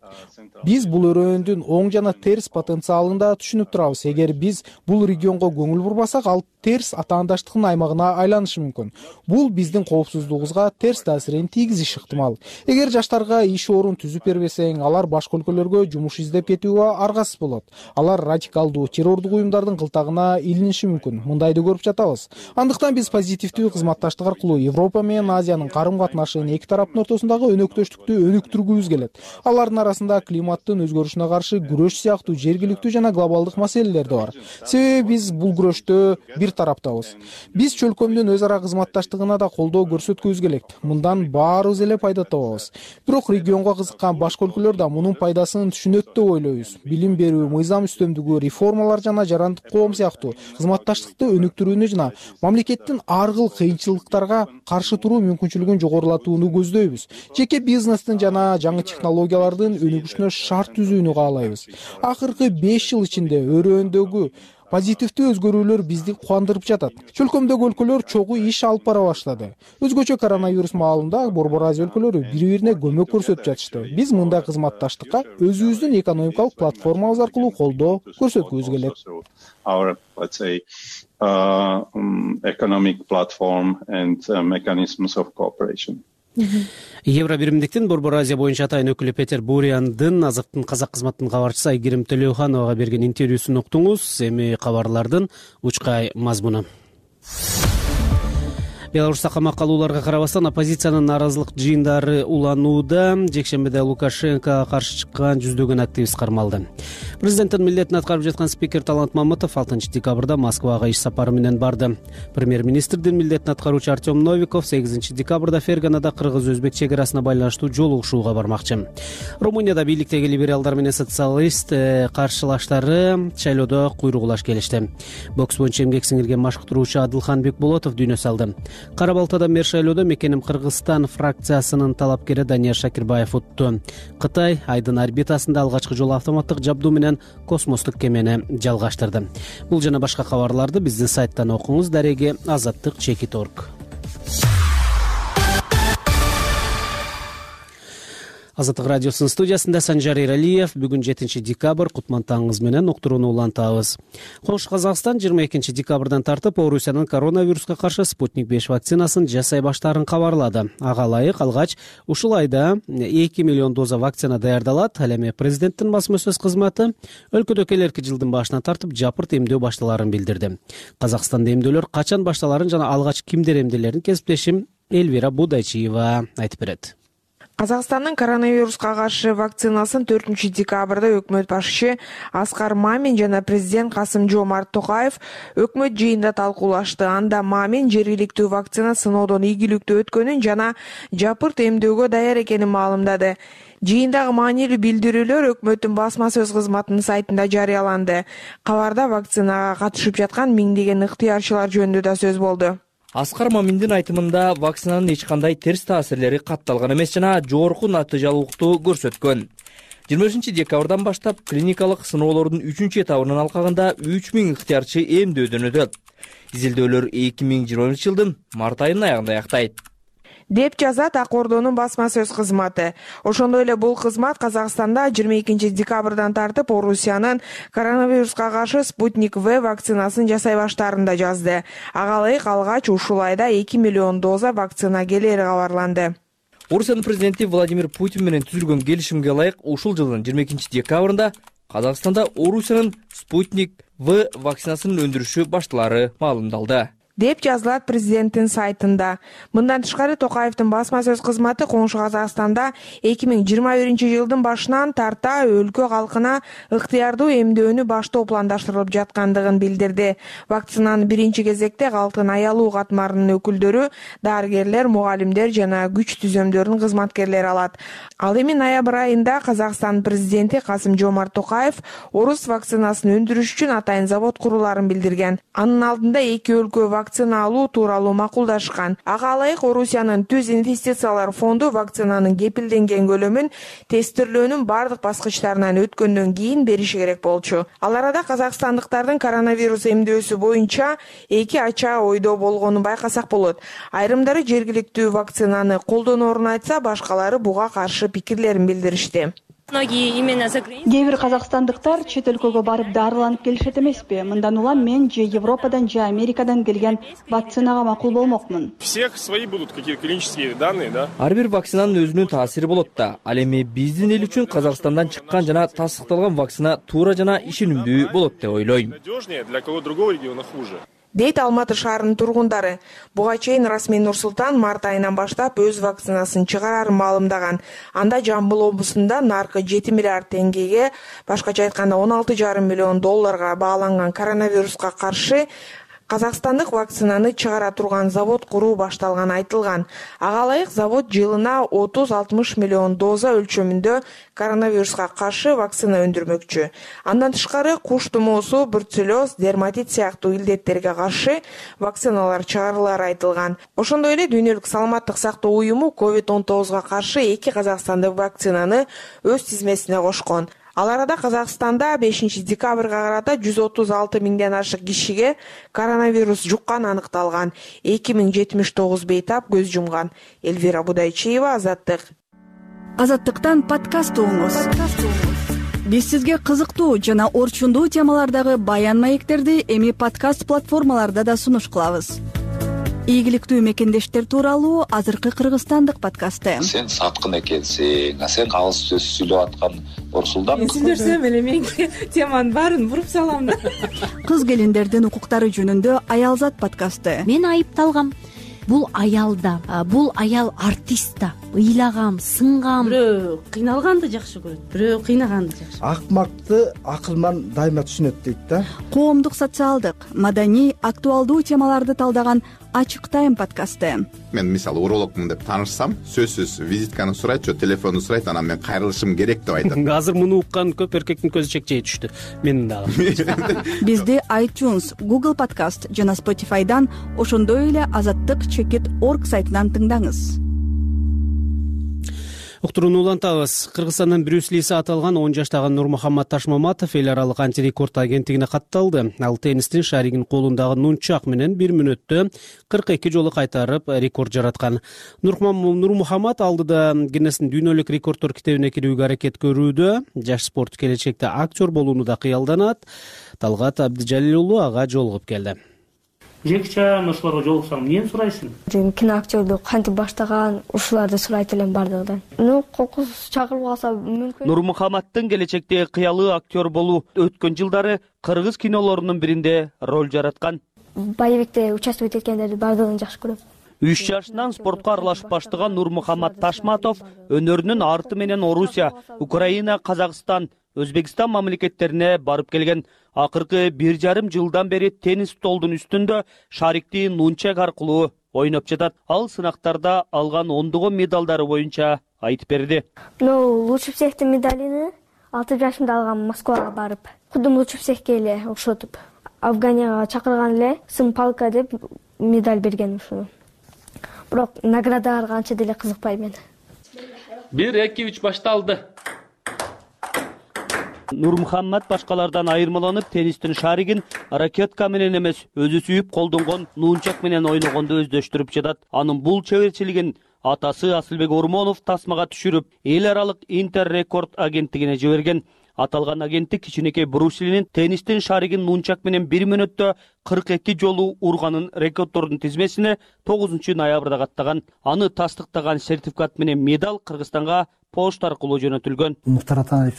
Биз бул өрөөндүн оң жана терс потенциалын да түшүнүп турабыз. Эгер биз бул регионго көңүл бурбасак, ал терс атаандаштыктын аймагына айланышы мүмкүн. Бул биздин коопсуздугубузга терс таасирин тийгизиши ыктымал. Эгер жаштарга иш орун түзүп бербесең, алар башка өлкөлөргө жумуш издеп кетүүгө аргасыз болот. Алар радикалдуу террордук уюмдардын кылтагына илиниши мүмкүн. Мындайды көрүп жатабыз. атабыз. Андыктан биз позитивдүү кызматташтык аркылуу Европа менен Азиянын карым-катнашын эки тараптын ортосундагы өнөктөштүктү өнүктүргүбүз келет. Алардын арасында климаттын өзгөрүшүнө каршы күрөш сыяктуу жергиликтүү жана глобалдык маселелер да бар. Себеби биз бул күрөштө бир тараптабыз. Биз чөлкөмдүн өз ара кызматташтыгына да колдоо көрсөткүбүз келет. Мындан баарыбыз эле пайда табабыз. Бирок регионго кызыккан башка өлкөлөр да мунун пайдасын түшүнөт деп ойлойбуз. Билим берүү, мыйзам үстөмдүгү, реформалар жана жарандык коом сыяктуу кызматташтыкты өнүктүрүүнү жана мамлекеттин ар кыл кыйынчылыктарга каршы туруу мүмкүнчүлүгүн жогорулатууну көздөйбүз. Жеке бизнестин жана жаңы технологиялардын өнүгүшүнө шарт түзүүнү каалайбыз. Акыркы 5 жыл ичинде өрөөндөгү позитивдүү өзгөрүүлөр бизди кубандырып жатат. Чөлкөмдөгү өлкөлөр чогуу иш алып бара баштады. Өзгөчө коронавирус маалында Борбор Азия өлкөлөрү бири-бирине көмөк көрсөтүп жатышты. Биз мындай кызматташтыкка өзүбүздүн экономикалык платформабыз аркылуу колдоо көрсөткүбүз келет. Our, let's say, economic platform and mechanisms of cooperation. Евро биримдиктин Борбор Азия боюнча атайын өкүлү Петер Буряндын Азыктын казак кызматынын кабарчысы Айгерим Төлөөхановага берген интервьюсун уктуңуз. Эми кабарлардын учкай мазмуну. Беларусьта камакка алууларга карабастан оппозициянын нааразылык жыйындары уланууда. Жекшембиде Лукашенкого каршы чыккан жүздөгөн активист кармалды. Президенттин милдетин аткарып жаткан спикер Талант Мамытов 6 декабрда Москвага иш сапары менен барды. Премьер-министрдин милдетин аткаруучу Артем Новиков 8 декабрда Ферганада кыргыз-өзбек чек-арасына байланыштуу жолугушууга бармакчы. Румынияда бийликтеги либералдар менен социалист каршылаштары шайлоодо куйругулаш келишти. Бокс боюнча эмгек сиңирген машыктыруучу Адылхан Бекболотов дүйнө салды. Кара Балтада мер шайлоодо мекеним Кыргызстан фракциясынын талапкери Данияр Шакирбаев утту. Кытай Айдын орбитасында алгачкы жолу автоматтык жабдуу менен космостук кемени жалгаштырды. Бул жана башка кабарларды биздин сайттан окуңуз. Дареги azаттык.org. Азаттык радиосунун студиясында Санжар Эралиев. Бүгүн 7 декабрь кутман таңыңыз менен уктурууну улантабыз. Коңшу Казакстан 22 декабрдан тартып Орусиянын коронавируска каршы Спутник 5 вакцинасын жасай баштаарын кабарлады. Ага ылайык алгач ушул айда 2 миллион доза вакцина даярдалат. Ал эми президенттин басма сөз кызматы өлкөдө келерки жылдын башынан тартып жапырт эмдөө башталарын билдирди. Казакстанда эмдөөлөр качан башталарын жана алгач кимдер эмделерин кесиптешим Эльвира Будайчиева айтып берет. Казакстандын коронавируска каршы вакцинасын 4 декабрда өкмөт башчысы Аскар Мамин жана президент Касым-Жомарт Токаев өкмөт жыйында талкуулашты. Анда Мамин жергиликтүү вакцина сыноодон ийгиликтүү өткөнүн жана жапырт эмдөөгө даяр экенин маалымдады. Жыйындагы маанилүү билдирүүлөр өкмөттүн басма сөз кызматынын сайтында жарыяланды. Кабарда вакцинага катышып жаткан миңдеген ыктыярчылар жөнүндө да сөз болду. Аскар Маминдин айтымында вакцинанын эч кандай терс таасирлери катталган эмес жана жогорку натыйжалуулукту көрсөткөн. 23 декабрдан баштап клиникалык сыноолордун 3 этабынын алкагында 3000 ыктыярчы эмдөөдөн өтөт. Изилдөөлөр 2020 жылдын март айынын аягында аяктайт, деп жазат Ак Ордонун басма сөз кызматы. Ошондой эле бул кызмат Казакстанда 22 декабрдан тартып Орусиянын коронавируска каршы Спутник В вакцинасын жасай баштаарын да жазды. Ага ылайык алгач ушул айда 2 миллион доза вакцина келери кабарланды. Орусиянын президенти Владимир Путин менен түзүлгөн келишимге ылайык ушул жылдын 22 декабрында Казакстанда Орусиянын Спутник В вакцинасынын өндүрүшү башталары маалымдалды, деп жазылат президенттин сайтында. Мындан тышкары Токаевдин басма сөз кызматы Коңшу Казакстанда 2021 жылдын башынан тарта өлкө калкына ыктыярдуу эмдөөнү баштоо пландаштырылып жаткандыгын билдирди. Вакцинаны биринчи кезекте калктын аялуу катмарынын өкүлдөрү, дарыгерлер, мугалимдер жана күч түзөмдөрүнүн кызматкерлери алат. Ал эми ноябрь айында Казакстан президенти Касым-Жомарт Токаев орус вакцинасын өндүрүш үчүн атайын завод куруларын билдирген. Анын алдында эки өлкө вакцина алуу тууралуу макулдашкан. Ага ылайык Орусиянын Түз инвестициялар фонду вакцинанын кепилденген көлөмүн тестирлөөнүн бардык баскычтарынан өткөндөн кийин бериши керек болчу. Ал арада казакстандыктардын коронавирус эмдөөсү боюнча эки ача ойдо болгонун байкасак болот. Айрымдары жергиликтүү вакцинаны колдоноорун айтса, башкалары буга каршы пикирлерин билдиришти. Кээ бир казакстандыктар чет өлкөгө барып дарыланып келишет эмеспи? Мындан улам мен же Европадан же Америкадан келген вакцинага макул болмокмун. Всех свои будут какие-то клинические данные, да? Ар бир вакцинанын өзүнүн таасири болот да. Ал эми биздин эл үчүн Казакстандан чыккан жана тастыкталган вакцина туура жана ишенимдүү болот деп ойлойм. Надежнее, для кого другого региона хуже. дейт Алматы шаарынын тургундары. Буга чейин расмий Нур-Султан март айынан баштап өз вакцинасын чыгарарын маалымдаган. Анда Жамбыл облусунда наркы 7 миллиард теңгеге, башкача айтканда 16,5 миллион долларга бааланган коронавируска каршы казакстандык вакцинаны чыгара турган завод куруу башталганы айтылган. Ага ылайык завод жылына 30-60 миллион доза өлчөмүндө коронавируска каршы вакцина өндүрмөкчү. Андан тышкары куш тумоосу, бруцеллез, дерматит сыяктуу илдеттерге каршы вакциналар чыгарылары айтылган. Ошондой эле Дүйнөлүк саламаттык сактоо уюму COVID-19 каршы 2 казакстандык вакцинаны өз тизмесине кошкон. Ал арада Казакстанда 5 декабрга карата 136 миңден ашык кишиге коронавирус жукканы аныкталган. 2079 бейтап көз жумган. Эльвира Будайчиева, Азаттык. Азаттыктан подкаст угуңуз. Биз сизге кызыктуу жана орчундуу темалардагы баян маектерди эми подкаст платформаларда да сунуш кылабыз. Ийгиликтүү мекендештер тууралуу азыркы кыргызстандык подкасты. Сен саткын экенсиң, сен калыс сөз сүйлөп аткан Орсулдан. Мен сүйлөсөм эле мен теманын баарын буруп салам да. Кыз келиндердин укуктары жөнүндө Аялзат подкасты. Мен айыпталгам. Бул аял да, бул аял артист да. Ыйлагам, сынгам. Бирөө кыйналганды жакшы көрөт, бирөө кыйнаганды жакшы. Акмакты акылман дайыма түшүнөт дейт да. Коомдук, социалдык, маданий, актуалдуу темаларды талдаган Ачык тайм подкасты. Мен мисалы урологмун деп таанышсам, сөзсүз визитканы сурайт, же телефонду сурайт, анан мен кайрылышым керек деп айтам. Азыр муну уккан көп эркектин көзү чекчей түштү. Менин дагы. Бизди iTunes, Google Podcast жана Spotify'дан, ошондой эле azattik.org сайтынан тыңдаңыз. Уктурууну улантабыз. Кыргызстандын Брюс Лиси аталган 10 жаштагы Нурмухаммад Ташмаматов эл аралык антирекорд агенттигине катталды. Ал теннистин шаригин колундагы нунчак менен 1 мүнөттө 42 жолу кайтарып рекорд жараткан. Нурмухаммад алдыда Гиннестин дүйнөлүк рекорддор китебине кирүүгө аракет көрүүдө. Жаш спорт келечекте актер болууну да кыялданат. Талгат Абдижалил уулу ага жолугуп келди. Жекче ошолорго жолуксаң, эмнени сурайсың? Киноактёрдү кантип баштаган, ушуларды сурайт элем бардыгынан. Кокус чакырып алса мүмкүн. Нурмухаммаддын келечекте кыялы актер болуу өткөн жылдары кыргыз кинолорунун биринде роль жараткан. Боевикте участвовать эткендерди бардыгын жакшы көрөм. 3 жашынан спортко аралашып баштаган Нурмухаммад Ташматов өнөрүнүн арты менен Орусия, Украина, Казакстан, Өзбекстан мамлекеттерине барып келген. Акыркы 1,5 жылдан бери теннис столдун үстүндө шарикти нунчак аркылуу ойноп жатат. Ал сынактарда алган ондогон медалдары боюнча айтып берди. Лучше всехтин медалini 6 жашымда алгам Москвага барып. Кудум лучше всехке эле окшотуп. Афганияга чакырган эле сын палка деп медаль берген ушуну. Бирок наградаларга анча деле кызыкпайм мен. 1-2-3 башталды. Нурмухаммад башкалардан айырмаланып, теннистин шаригин ракетка менен эмес, өзү сүйүп колдонгон нунчак менен ойногонду өздөштүрүп жатат. Анын бул чеберчилигин атасы Асылбек Ормонов тасмага түшүрүп, эл аралык интеррекорд агенттигине жиберген. Аталган агенттик кичинекей Брюс Линин теннистин шаригин нунчак менен 1 мүнөттө 42 жолу урганын рекорддордун тизмесине 9 ноябрда каттаган. Аны тастыктаган сертификат менен медаль Кыргызстанга почта аркылуу жөнөтүлгөн. Мухтар Атаевич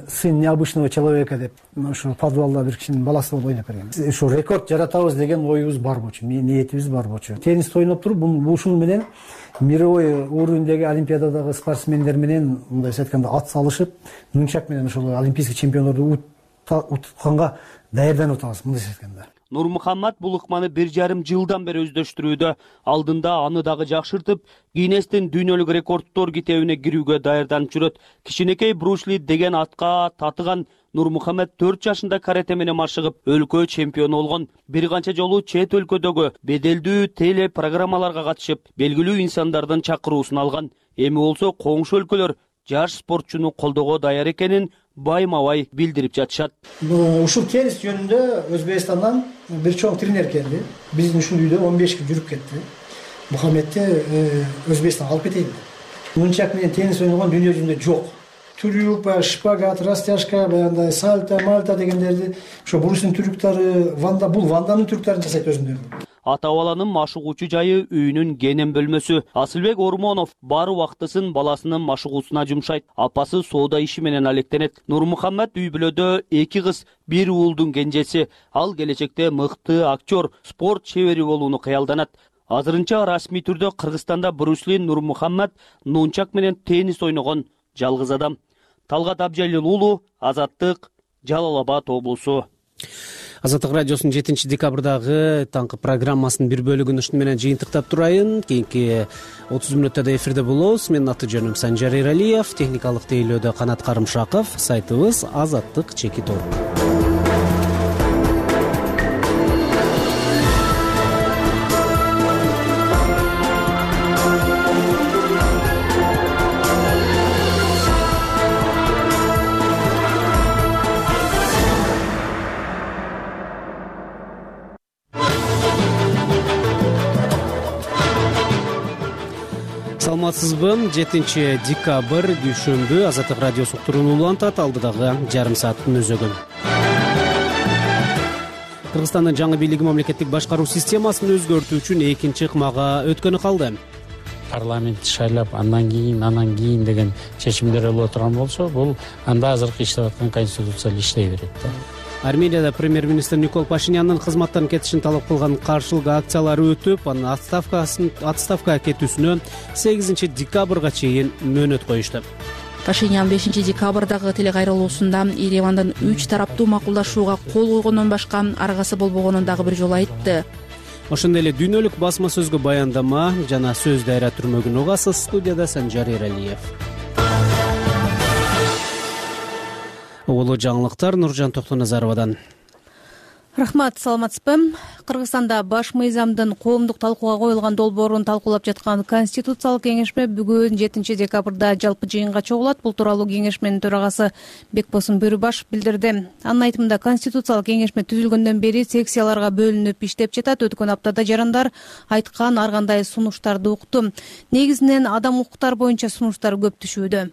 сын необычного человека деп ошо подвалда бир кишинин баласы болуп ойноп берген. Ушу рекорд жаратабыз деген оюбуз бар болчу, ниетибиз бар болчу. Теннисти ойноп туруп, ушул менен мировой уровеньдеги олимпиададагы спортсмендер менен мындай айтканда ат салышып, нунчак менен ошол олимпийский чемпиондорду утканга даярданып атабыз, мындай айтканда. Нурмухаммад бул ыкманы 1,5 жылдан бери өздөштүрүүдө. Алдында аны дагы жакшыртып, Гиннестин дүйнөлүк рекорддор китебине кирүүгө даярданып жүрөт. Кичинекей Брюс Ли деген атка татыган Нурмухаммад 4 жашында карате менен машыгып, өлкө чемпиону болгон. Бир канча жолу чет өлкөдөгү беделдүү теле программаларга катышып, белгилүү инсандардын чакыруусун алган. Эми болсо коңшу өлкөлөр жаш спортчуну колдоого даяр экенин байма-бай билдирип жатышат. Ушул теннис жөнүндө Өзбекстандан бир чоң тренер келди. Биздин ушул үйдө 15 күн жүрүп кетти. Мухаммедти Өзбекстанга алып кетейин. Нунчак менен теннис ойногон дүйнө жүзүндө жок. Трюк, шпагат, растяжка, баягындай сальто, мальта дегендерди ошо Брюстин трюктары, бул Ванданын трюктарын жасайт өзүндөй. ата баланын машыгуучу жайы үйүнүн кенен бөлмөсү. Асылбек Ормонов бар убактысын баласынын машыгуусуна жумшайт. Апасы соода иши менен алектенет. Нурмухаммед үй бүлөдө 2 кыз, 1 уулдун кенжеси. Ал келечекте мыкты актер, спорт чебери болууну кыялданат. Азырынча расмий түрдө Кыргызстанда Брюс Ли Нурмухаммед нунчак менен теннис ойногон жалгыз адам. Талгат Абжалил уулу, Азаттык, Жалал Абад облусу. Азаттык радиосунун 7 декабрдагы таңкы программасынын бир бөлүгүн ушуну менен жыйынтыктап турайын. Кийинки 30 мүнөттө эфирде болобуз. Менин аты жөнүм Санжар Эралиев, техникалык тейлөөдө Канат Карымшаков, сайтыбыз azаттык.org. Саламатсызбы? 7 декабрь дүйшөмбү Азаттык радиосу уктуруну улантат. Алдыдагы жарым сааттын өзөгүн. Кыргызстандын жаңы бийлиги мамлекеттик башкаруу системасын өзгөртүү үчүн экинчи ыкмага өткөнү калды. Парламент шайлап андан кийин деген чечимдер боло турган болсо, бул анда азыркы иштеп аткан конституция иштей берет да. Арменияда премьер-министр Никол Пашинянын кызматтан кетишин талап кылган каршылык акциялары өтүп, анын отставкага кетүүсүнө 8 декабрга чейин мөөнөт коюшту. Пашинян 5 декабрдагы телекайрылуусунда Еревандын 3 тараптуу макулдашууга кол койгондон башка аргасы болбогонун дагы бир жолу айтты. Ошондой эле дүйнөлүк басма сөзгө баяндама жана сөз дайра түрмөгүн угасыз. Студияда Санжар Эралиев. Улуу жаңылыктар Нуржан Токтоназаровадан. Рахмат, саламатсызбы? Кыргызстанда баш мыйзамдын коомдук талкууга коюлган долбоорун талкуулап жаткан Конституциялык кеңешме бүгүн 7 декабрда жалпы жыйынга чогулат. Бул тууралуу кеңешменин төрагасы Бекбосун Бөрүбашев билдирди. Анын айтымында Конституциялык кеңешме түзүлгөндөн бери секцияларга бөлүнүп иштеп жатат. Өткөн аптада жарандар айткан ар кандай сунуштарды укту. Негизинен адам укуктары боюнча сунуштар көп түшүүдө.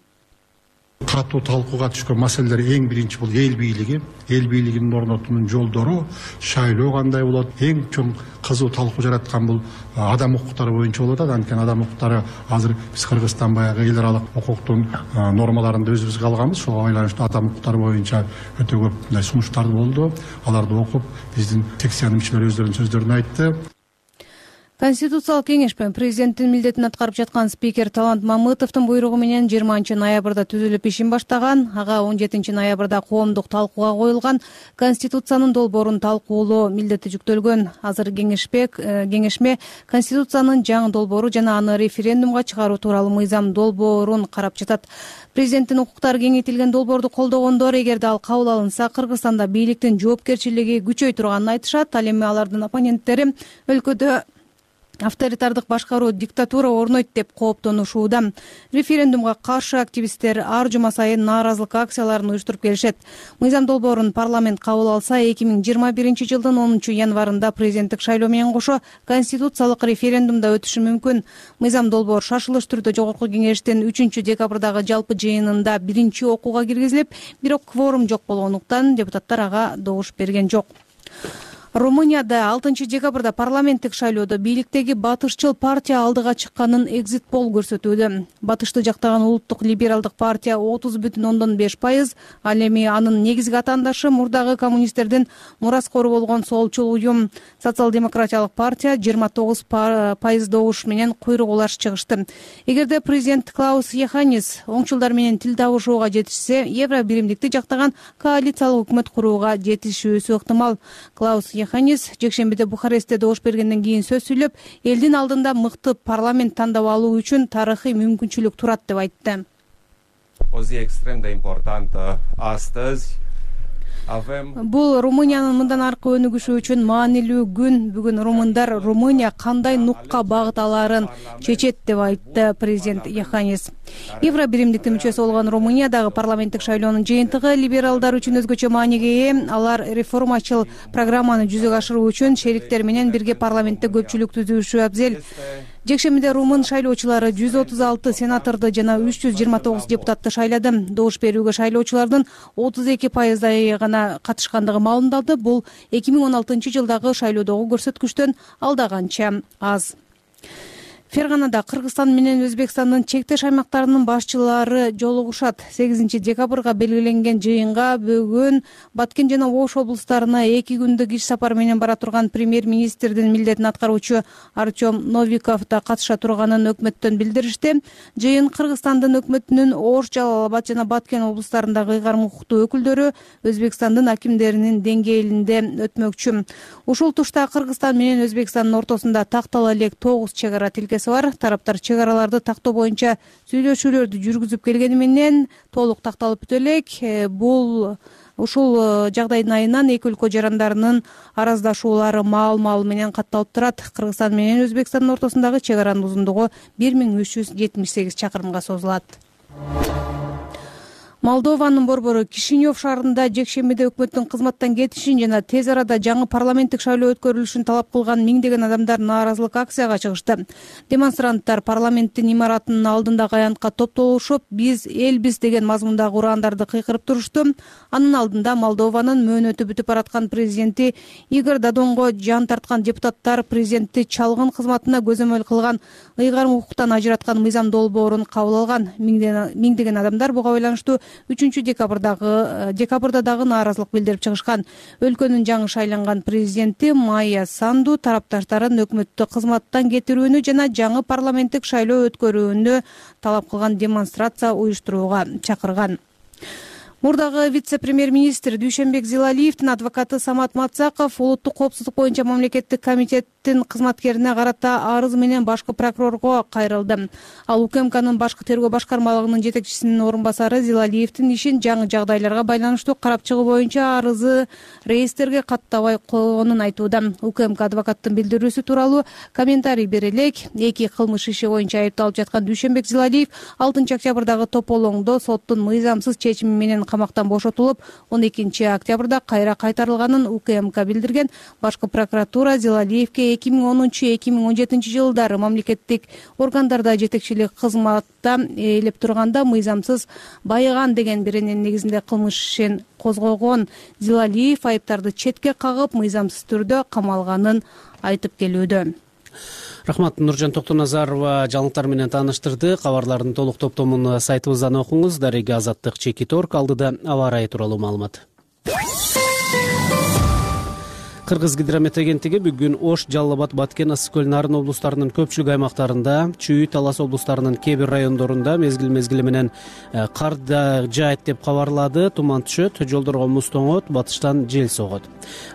Катуу талкууга түшкөн маселелер эң биринчи бул эл бийлиги. Эл бийлигинин орнотуунун жолдору, шайлоо кандай болот? Эң чоң кызуу талкуу жараткан бул адам укуктары боюнча болот. Анткени адам укуктары азыр биз Кыргызстан баягы эл аралык укуктун нормаларында өзүбүзгө алганбыз. Ошого байланыштуу адам укуктары боюнча өтө көп мындай сунуштар болду. Аларды окуп, биздин секциянын мүчөлөрү өздөрүнүн сөздөрүн айтты. Конституциялык кеңешме президенттин милдетин аткарып жаткан спикер Талант Мамытовдун буйругу менен 20 ноябрда түзүлүп ишин баштаган. Ага 17 ноябрда коомдук талкууга коюлган Конституциянын долбоорун талкуулоо милдети жүктөлгөн. Азыр кеңешме Конституциянын жаңы долбоору жана аны референдумга чыгаруу тууралуу мыйзам долбоорун карап жатат. Президенттин укуктары кеңейтилген долбоорду колдогондор эгерде ал кабыл алынса, Кыргызстанда бийликтин жоопкерчилиги күчөй турганын айтышат. Ал эми алардын оппоненттери өлкөдө авторитардык башкаруу, диктатура орнойт деп кооптонушууда. Референдумга каршы активисттер ар жума сайын нааразылык акцияларын уюштуруп келишет. Мыйзам долбоорун парламент кабыл алса, 2021 жылдын 10 январында президенттик шайлоо менен кошо конституциялык референдумда өтүшү мүмкүн. Мыйзам долбоор шашылыш түрдө жогорку кеңештин 3 декабрдагы жалпы жыйынында биринчи окууга киргизилип, бирок кворум жок болгондуктан депутаттар ага добуш берген жок. Румынияда 6 декабрда парламенттик шайлоодо бийликтеги батышчыл партия алдыга чыкканын экзит пол көрсөтүүдө. Батышты жактаган улуттук либералдык партия 30,5%, ал эми анын негизги атаандашы мурдагы коммунисттердин мураскору болгон солчул уюм Социал-демократиялык партия 29% добуш менен куйрук улаш чыгышты. Эгерде президент Клаус Йоханнис оңчулдар менен тил табышууга жетишсе, Евро биримдикти жактаган коалициялык өкмөт курууга жетишүүсү ыктымал. Клаус Йоханнис жекшембиде Бухарестте добуш бергенден кийин сөз сүйлөп, элдин алдында мыкты парламент тандап алуу үчүн тарыхый мүмкүнчүлүк турат деп айтты. Бул Румыниянын мындан аркы өнүгүшү үчүн маанилүү күн. Бүгүн румындар Румыния кандай нукка багыт алаарын чечет деп айтты президент Йоханнис. Евро биримдиктин мүчөсү болгон Румыниядагы парламенттик шайлоонун жыйынтыгы либералдар үчүн өзгөчө мааниге ээ. Алар реформачыл программаны жүзөгө ашыруу үчүн шериктер менен бирге парламентте көпчүлүк түзүшү абзел. Жекшембиде Румын шайлоочулары 136 сенаторду жана 329 депутатты шайлады. Добуш берүүгө шайлоочулардын 32% гана катышкандыгы маалымдалды. Бул 2016 жылдагы шайлоодогу көрсөткүчтөн алда канча аз. Ферганада Кыргызстан менен Өзбекстандын чектеш аймактарынын башчылары жолугушат. 8 декабрга белгиленген жыйынга бүгүн Баткен жана Ош облустарына 2 күндүк иш сапар менен бара турган премьер-министрдин милдетин аткаруучу Артем Новиков да катыша турганын өкмөттөн билдиришти. Жыйын Кыргызстандын өкмөтүнүн Ош, Жалал-Абад жана Баткен облустарындагы ыйгарым укуктуу өкүлдөрү Өзбекстандын акимдеринин деңгээлинде өтмөкчү. Ушул тушта Кыргызстан менен Өзбекстандын ортосунда тактала элек 9 чек ара тилкеси бар. Тараптар чек араларды тактоо боюнча сүйлөшүүлөрдү жүргүзүп келгени менен толук такталып бүтө элек. Бул ушул жагдайдын айынан эки өлкө жарандарынын араздашуулары маал менен катталып турат. Кыргызстан менен Өзбекстандын ортосундагы чек аранын узундугу 1378 чакырымга созулат. Молдованын борбору Кишинев шаарында жекшембиде өкмөттүн кызматтан кетишин жана тез арада жаңы парламенттик шайлоо өткөрүлүшүн талап кылган миңдеген адамдар нааразылык акцияга чыгышты. Демонстранттар парламенттин имаратынын алдындагы аянтка топтолушуп, "Биз элбиз" деген мазмундагы урандарды кыйкырып турушту. Анын алдында Молдованын мөөнөтү бүтүп бараткан президенти Игорь Додонго жан тарткан депутаттар президентти чалгын кызматына көзөмөл кылган ыйгарым укуктан ажыраткан мыйзам долбоорун кабыл алган. Миңдеген адамдар буга байланыштуу 3 декабрда дагы нааразылык билдирип чыгышкан. Өлкөнүн жаңы шайланган президенти Майя Санду тарапташтарын өкмөттү кызматтан кетирүүнү жана жаңы парламенттик шайлоо өткөрүүнү талап кылган демонстрация уюштурууга чакырган. Мурдагы вице-премьер-министр Дүйшөнбек Зилалиевдин адвокаты Самат Мацаков улуттук коопсуздук боюнча мамлекеттик комитеттин кызматкерине карата арыз менен башкы прокурорго кайрылды. Ал УКМКнын башкы тергөө башкармалыгынын жетекчисинин орун басары Зилалиевдин ишин жаңы жагдайларга байланыштуу карап чыгуу боюнча арызы реестрге каттабай койгонун айтууда. УКМК адвокаттын билдирүүсү тууралуу комментарий бере элек. Эки кылмыш иши боюнча айыпталып жаткан Дүйшөнбек Зилалиев 6 октябрдагы тополоңдо соттун мыйзамсыз чечими менен камактан бошотулуп, 12 октябрда кайра кайтарылганын УКМК билдирген. Башкы прокуратура Зилалиевке 2010-2017 жылдары мамлекеттик органдарда жетекчилик кызматта ээлеп турганда мыйзамсыз байыган деген берененин негизинде кылмыш ишин козгогон. Зилалиев айыптарды четке кагып, мыйзамсыз түрдө камалганын айтып келүүдө. Рахмат. Нуржан Токтоназарова жаңылыктар менен тааныштырды. Кабарлардын толук топтомун сайтыбыздан окуңуз. Дареги Азаттык Чекиторг алдыда аба ырайы тууралуу маалымат. Кыргыз гидромет агенттиги бүгүн Ош, Жалал-Абад, Баткен, Ысык көл, Нарын облустарынын көпчүлүк аймактарында, Чүй, Талас облустарынын кээ бир райондорунда мезгил менен кар да жаайт деп кабарлады. Туман түшөт, жолдорго муз тоңот, батыштан жел согот.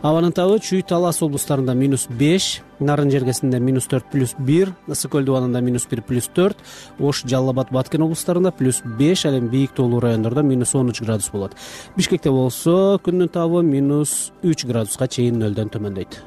Абанын табы Чүй, Талас облустарында -5, Нарын жергесинде -4+1, Ысык көл дубанында -1+4, Ош, Жалал-Абад, Баткен облустарында +5, ал эми бийик тоолуу райондордо -13 градус болот. Бишкекте болсо күндүн табы -3 градуска чейин нөлдөн төмөндөйт.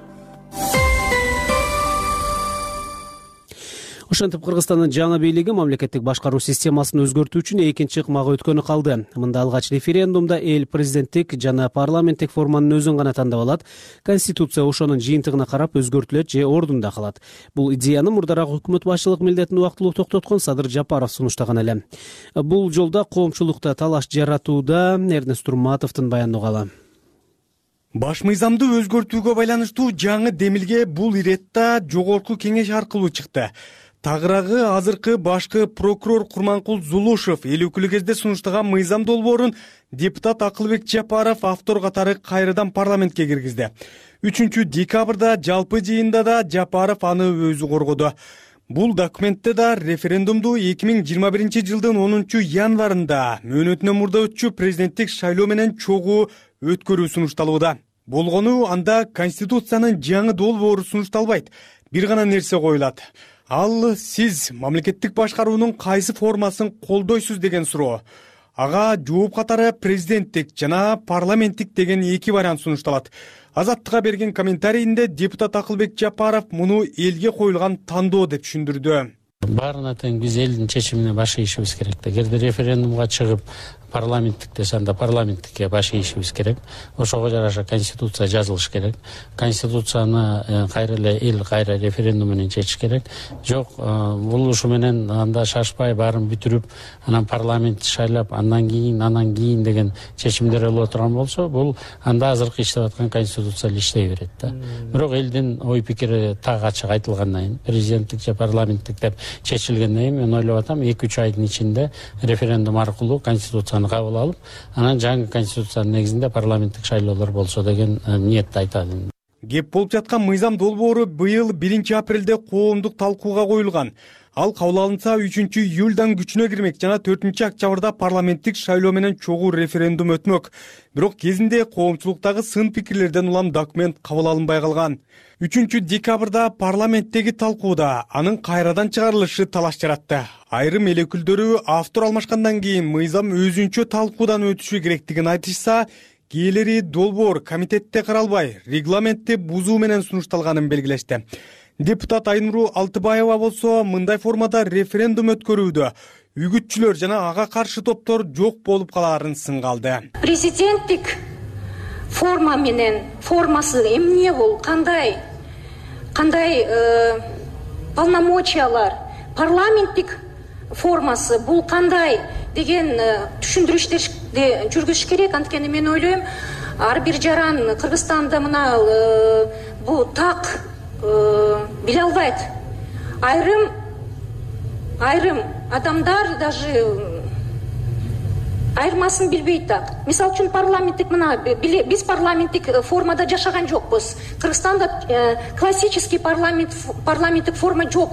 Ошентип Кыргызстандын жаңы бийлиги мамлекеттик башкаруу системасын өзгөртүү үчүн экинчи ыкмага өткөнү калды. Мында алгач референдумда эл президенттик жана парламенттик форманын өзүн гана тандап алат. Конституция ошонун жыйынтыгына карап өзгөртүлөт же ордунда калат. Бул идеяны мурдараак өкмөт башчылык милдетин убактылуу токтоткон Садыр Жапаров сунуштаган эле. Бул жолда коомчулукта талаш жаратууда. Эрнест Турматовдун баяндоогу. Баш мыйзамды өзгөртүүгө байланыштуу жаңы демилге бул иретта жогорку кеңеш аркылуу чыкты. Тагыраагы азыркы башкы прокурор Курманкул Зулушев эл өкүлү кезде сунуштаган мыйзам долбоорун депутат Акылбек Жапаров автор катары кайрадан парламентке киргизди. 3 декабрда жалпы жыйында да Жапаров аны өзү коргоду. Бул документте да референдумду 2021 жылдын 10 январында мөөнөтүнөн мурда өтчү президенттик шайлоо менен чогуу өткөрүү сунушталууда. Болгону анда Конституциянын жаңы долбоору сунушталбайт. Бир гана нерсе коюлат. Ал сиз мамлекеттик башкаруунун кайсы формасын колдойсуз деген суроо. Ага жооп катары президенттик жана парламенттик деген эки вариант сунушталат. Азаттыкка берген комментарийинде депутат Акылбек Жапаров муну элге коюлган тандоо деп түшүндүрдү. Баарына тең биз элдин чечимине баш ийишибиз керек. Эгерде референдумга чыгып парламенттик десе анда парламенттикке баш ийишибиз керек. Ошого жараша конституция жазылыш керек. Конституцияны кайра эле эл кайра референдум менен чечиш керек. Жок, бул ушу менен анда шашпай баарын бүтүрүп, анан парламент шайлап, андан кийин деген чечимдер алып отурган болсо, бул анда азыркы иштеп аткан конституция эле иштей берет да. Бирок элдин ой пикири так ачык айтылгандан кийин, президенттик же парламенттик деп чечилгенден кийин мен ойлоп атам 2-3 айдын ичинде референдум аркылуу конституцияны кабыл алып, анан жаңы конституциянын негизинде парламенттик шайлоолор болсо деген ниетти айтат. Кеп болуп жаткан мыйзам долбоору быйыл 1-апрелде коомдук талкууга коюлган. Ал кабыл алынса 3-июлдан күчүнө кирмек жана 4-октябрда парламенттик шайлоо менен чогуу референдум өтмөк. Бирок кезинде коомчулуктагы сын пикирлерден улам документ кабыл алынбай калган. 3-декабрда парламенттеги талкууда анын кайрадан чыгарылышы талаш жаратты. Айрым эл өкүлдөрү автор алмашкандан кийин мыйзам өзүнчө талкуудан өтүшү керектигин айтышса, кээleri долбоор комитетте каралбай, регламентти бузуу менен сунушталганын белгилешти. Депутат Айнуру Алтыбаева болсо мындай формада референдум өткөрүүдө үгүтчүлөр жана ага каршы топтор жок болуп калаарын сынга алды. Президенттик форма менен формасы эмне бул, кандай полномочиялар, парламенттик формасы бул кандай деген түшүндүрүштөрдү жүргүзүш керек. Анткени мен ойлойм, ар бир жаран Кыргызстанда мына бул так биле албайт. Айрым адамдар даже айырмасын билбейт так. Мисалы үчүн парламенттик биз парламенттик формада жашаган жокпуз. Кыргызстанда классический парламенттик форма жок.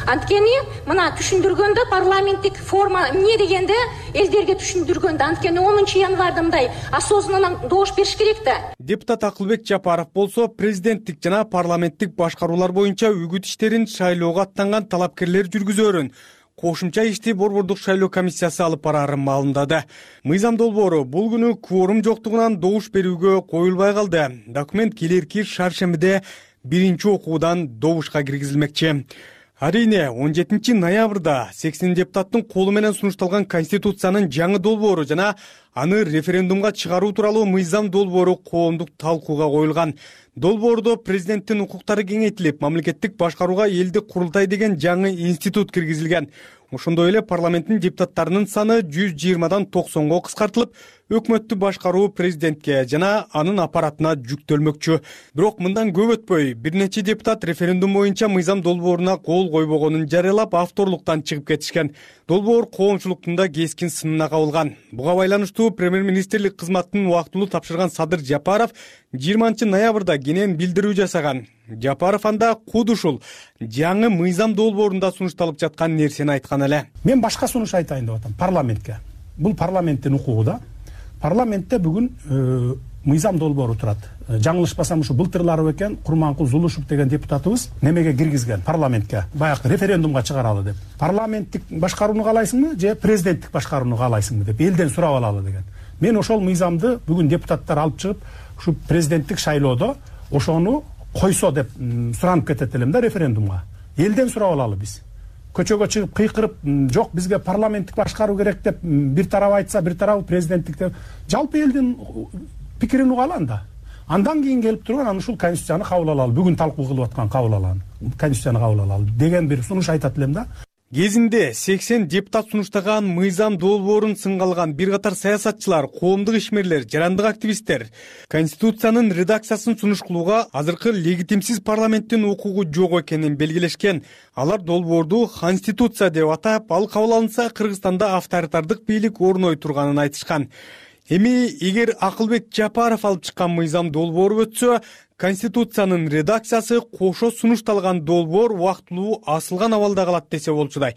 Анткени мына түшүндүргөндө парламенттик форма эмне дегенде элдерге түшүндүргөндө, анткени 10 январда мындай осознанно добуш бериш керек да. Депутат Акылбек Жапаров болсо президенттик жана парламенттик башкаруулар боюнча үгүт иштерин шайлоого аттанган талапкерлер жүргүзөрүн кошумча ишти борбордук шайлоо комиссиясы алып бараарын маалымдады. Мыйзам долбоору бул күнү кворум жоктугунан добуш берүүгө коюлбай калды. Документ келерки шаршембиде 1-окуудан добушка киргизилмекчи. Арине 17 ноябрда 80 депутаттын колу менен сунушталган конституциянын жаңы долбоору жана аны референдумга чыгаруу тууралуу мыйзам долбоору коомдук талкууга коюлган. Долбоордо президенттин укуктары кеңейтилип, мамлекеттик башкарууга элдик курултай деген жаңы институт киргизилген. Ошондой эле парламенттин депутаттарынын саны 120дан 90го кыскартылып, өкмөттү башкаруу президентке жана анын аппаратына жүктөлмөкчү. Бирок мындан көп өтпөй, бир нече депутат референдум боюнча мыйзам долбооруна кол койбогонун жарыялап, авторлуктан чыгып кетишкен. Долбоор коомчулуктун да кескин сынына кабылган. Буга байланыштуу премьер-министрлик кызматын убактылуу тапшырган Садыр Жапаров 20 ноябрда кенен билдирүү жасаган. Жапаров анда куд ушул жаңы мыйзам долбоорунда сунушталып жаткан нерсени айткан эле. Мен башка сунуш айтайын деп атам парламентке. Бул парламенттин укугу да. Парламентте бүгүн мыйзам долбоору турат. Жаңылышпасам ушу былтырлары экен Курманкул Зулушев деген депутатыбыз немеге киргизген парламентке. Баягы референдумга чыгаралы деп. Парламенттик башкарууну каалайсыңбы же президенттик башкарууну каалайсыңбы деп элден сурап алалы деген. Мен ошол мыйзамды бүгүн депутаттар алып чыгып, ушу президенттик шайлоодо ошону койсо деп суранып кетет элем да референдумга. Элден сурап алалы биз. Көчөгө чыгып кыйкырып, жок бизге парламенттик башкаруу керек деп бир тарап айтса, бир тарабы президенттик деп жалпы элдин пикирин угалы анда. Андан кийин келип турган аны ушул конституцияны кабыл алалы, бүгүн талкуу кылып аткан кабыл алалы, конституцияны кабыл алалы деген бир сунуш айтат элем да. Кезинде 80 депутат сунуштаган мыйзам долбоорун сынга алган бир катар саясатчылар, коомдук ишмерлер, жарандык активисттер конституциянын редакциясын сунуш кылууга азыркы легитимсиз парламенттин укугу жок экенин белгилешкен. Алар долбоорду конституция деп атап, ал кабыл алынса Кыргызстанда авторитардык бийлик орной турганын айтышкан. Эми эгер Акылбек Жапаров алып чыккан мыйзам долбоору өтсө, конституциянын редакциясы кошо сунушталган долбоор убактылуу асылган абалда калат десе болчудай.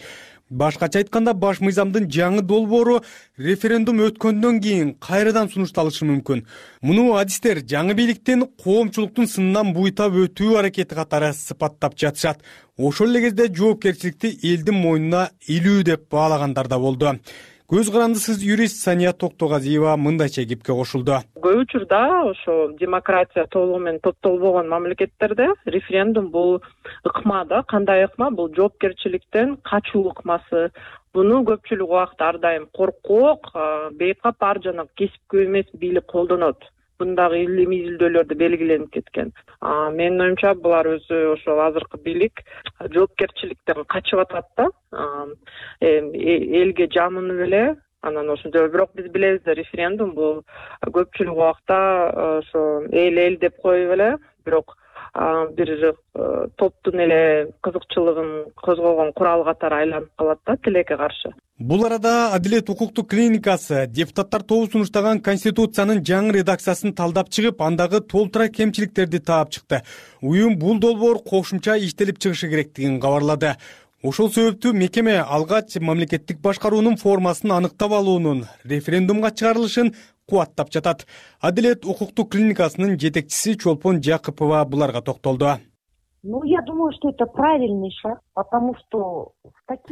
Башкача айтканда, баш мыйзамдын жаңы долбоору референдум өткөндөн кийин кайрадан сунушталышы мүмкүн. Муну адистер жаңы бийликтин коомчулуктун сынынан буйтап өтүү аракети катары сыпаттап жатышат. Ошол эле кезде жоопкерчиликти элдин мойнуна илүү деп баалагандар да болду. Көз карандысыз юрист Сания Токтогазиева мындайча кепке кошулду. Көп учурда ошо демократия толугу менен топтолбогон мамлекеттерде референдум бул ыкма да. Кандай ыкма? Бул жоопкерчиликтен качуу ыкмасы. Буну көпчүлүк убакта ар дайым коркок, бейкапар жана кесипкөй эмес бийлик колдонот. Бундагы илимий изилдөөлөрдө белгиленип кеткен. Менин оюмча булар өзү ошол азыркы бийлик жоопкерчиликтен качып атат да. Элге жамынып эле анан ошондой. Бирок биз билебиз да, референдум бул көпчүлүк убакта ошо эл деп коюп эле, бирок бир топтун эле кызыкчылыгын козгогон курал катары айланып калат да, тилекке каршы. Бул арада Адилет укуктук клиникасы депутаттар тобу сунуштаган Конституциянын жаңы редакциясын талдап чыгып, андагы толтура кемчиликтерди таап чыкты. Уюм бул долбоор кошумча иштелип чыгышы керектигин кабарлады. Ошол себептүү мекеме алгач мамлекеттик башкаруунун формасын аныктап алуунун референдумга чыгарылышын кубаттап жатат. Адилет укуктук клиникасынын жетекчиси Чолпон Жакыпова буларга токтолду. Я думаю, что это правильный шаг, потому что...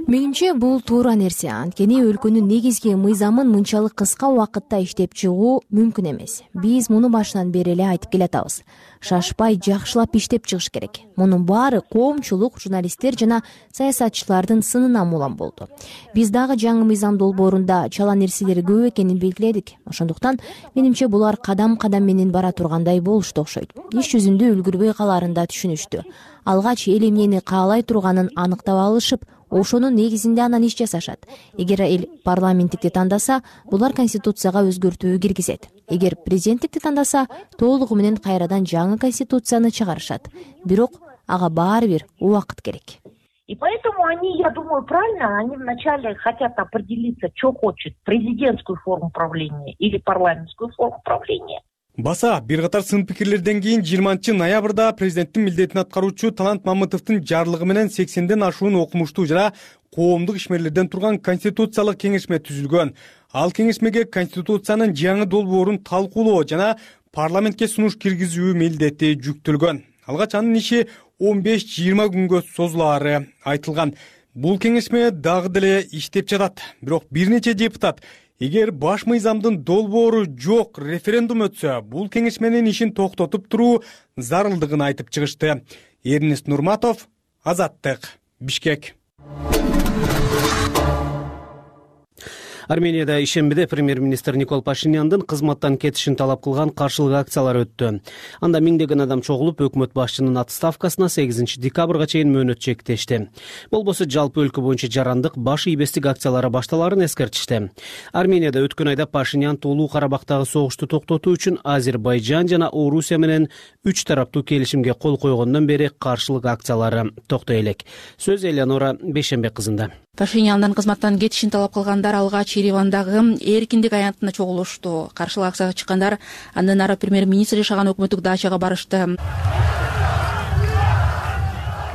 Менимче бул туура нерсе, анткени өлкөнүн негизги мыйзамын мынчалык кыска убакытта иштеп чыгуу мүмкүн эмес. Биз муну башынан бери эле айтып келатабыз. Шашпай жакшылап иштеп чыгыш керек. Мунун баары коомчулук, журналисттер жана саясатчылардын сынынан улам болду. Биз дагы жаңы мыйзам долбоорунда чала нерселер көп экенин белгиледик. Ошондуктан менимче булар кадам-кадам менен бара тургандай болушту окшойт. Иш жүзүндө үлгүрбөй калаарын да түшүнүштү. Алгач эл эмнени каалай турганын аныктап алышып, ошонун негизинде анан иш жасашат. Эгер эл парламенттикти тандаса, булар конституцияга өзгөртүү киргизет. Эгер президенттикти тандаса, толугу менен кайрадан жаңы конституцияны чыгарышат. Бирок ага баары бир убакыт керек. И поэтому они, я думаю, правильно, они вначале хотят определиться, что хочет, президентскую форму правления или парламентскую форму правления. Баса, бир катар сын пикирлерден кийин 20-ноябрда президенттин милдетин аткаруучу Талант Мамытовдун жарлыгы менен 80ден ашуун окумуштуу жана коомдук ишмерлерден турган конституциялык кеңешме түзүлгөн. Ал кеңешмеге конституциянын жаңы долбоорун талкуулоо жана парламентке сунуш киргизүү милдети жүктөлгөн. Алгач анын иши 15-20 күнгө созулаары айтылган. Бул кеңешме дагы деле иштеп жатат. Бирок бир нече депутат эгер баш мыйзамдын долбоору жок референдум өтсө, бул кеңешменин ишин токтотуп туруу зарылдыгын айтып чыгышты. Эрнест Нурматов, Азаттык, Бишкек. Арменияда ишембиде премьер-министр Никол Пашиняндын кызматтан кетишин талап кылган каршылык акциялар өттү. Анда миңдеген адам чогулуп, өкмөт башчынын отставкасына 8 декабрга чейин мөөнөт чектешти. Болбосо жалпы өлкө боюнча жарандык, баш ийбестик акциялары башталаарын эскертишти. Арменияда өткөн айда Пашинян Тоолуу Карабактагы согушту токтотуу үчүн Азербайжан жана Орусия менен 3 тараптуу келишимге кол койгондон бери каршылык акциялары токтой элек. Сөз Элеонора Бейшембек кызында. Пашиняндан кызматтан кетишин талап кылгандар алгач Еревандагы эркиндик аянтына чогулушту. Каршылык акцияга чыккандар андан ары премьер-министр жашаган өкмөттүк дачага барышты.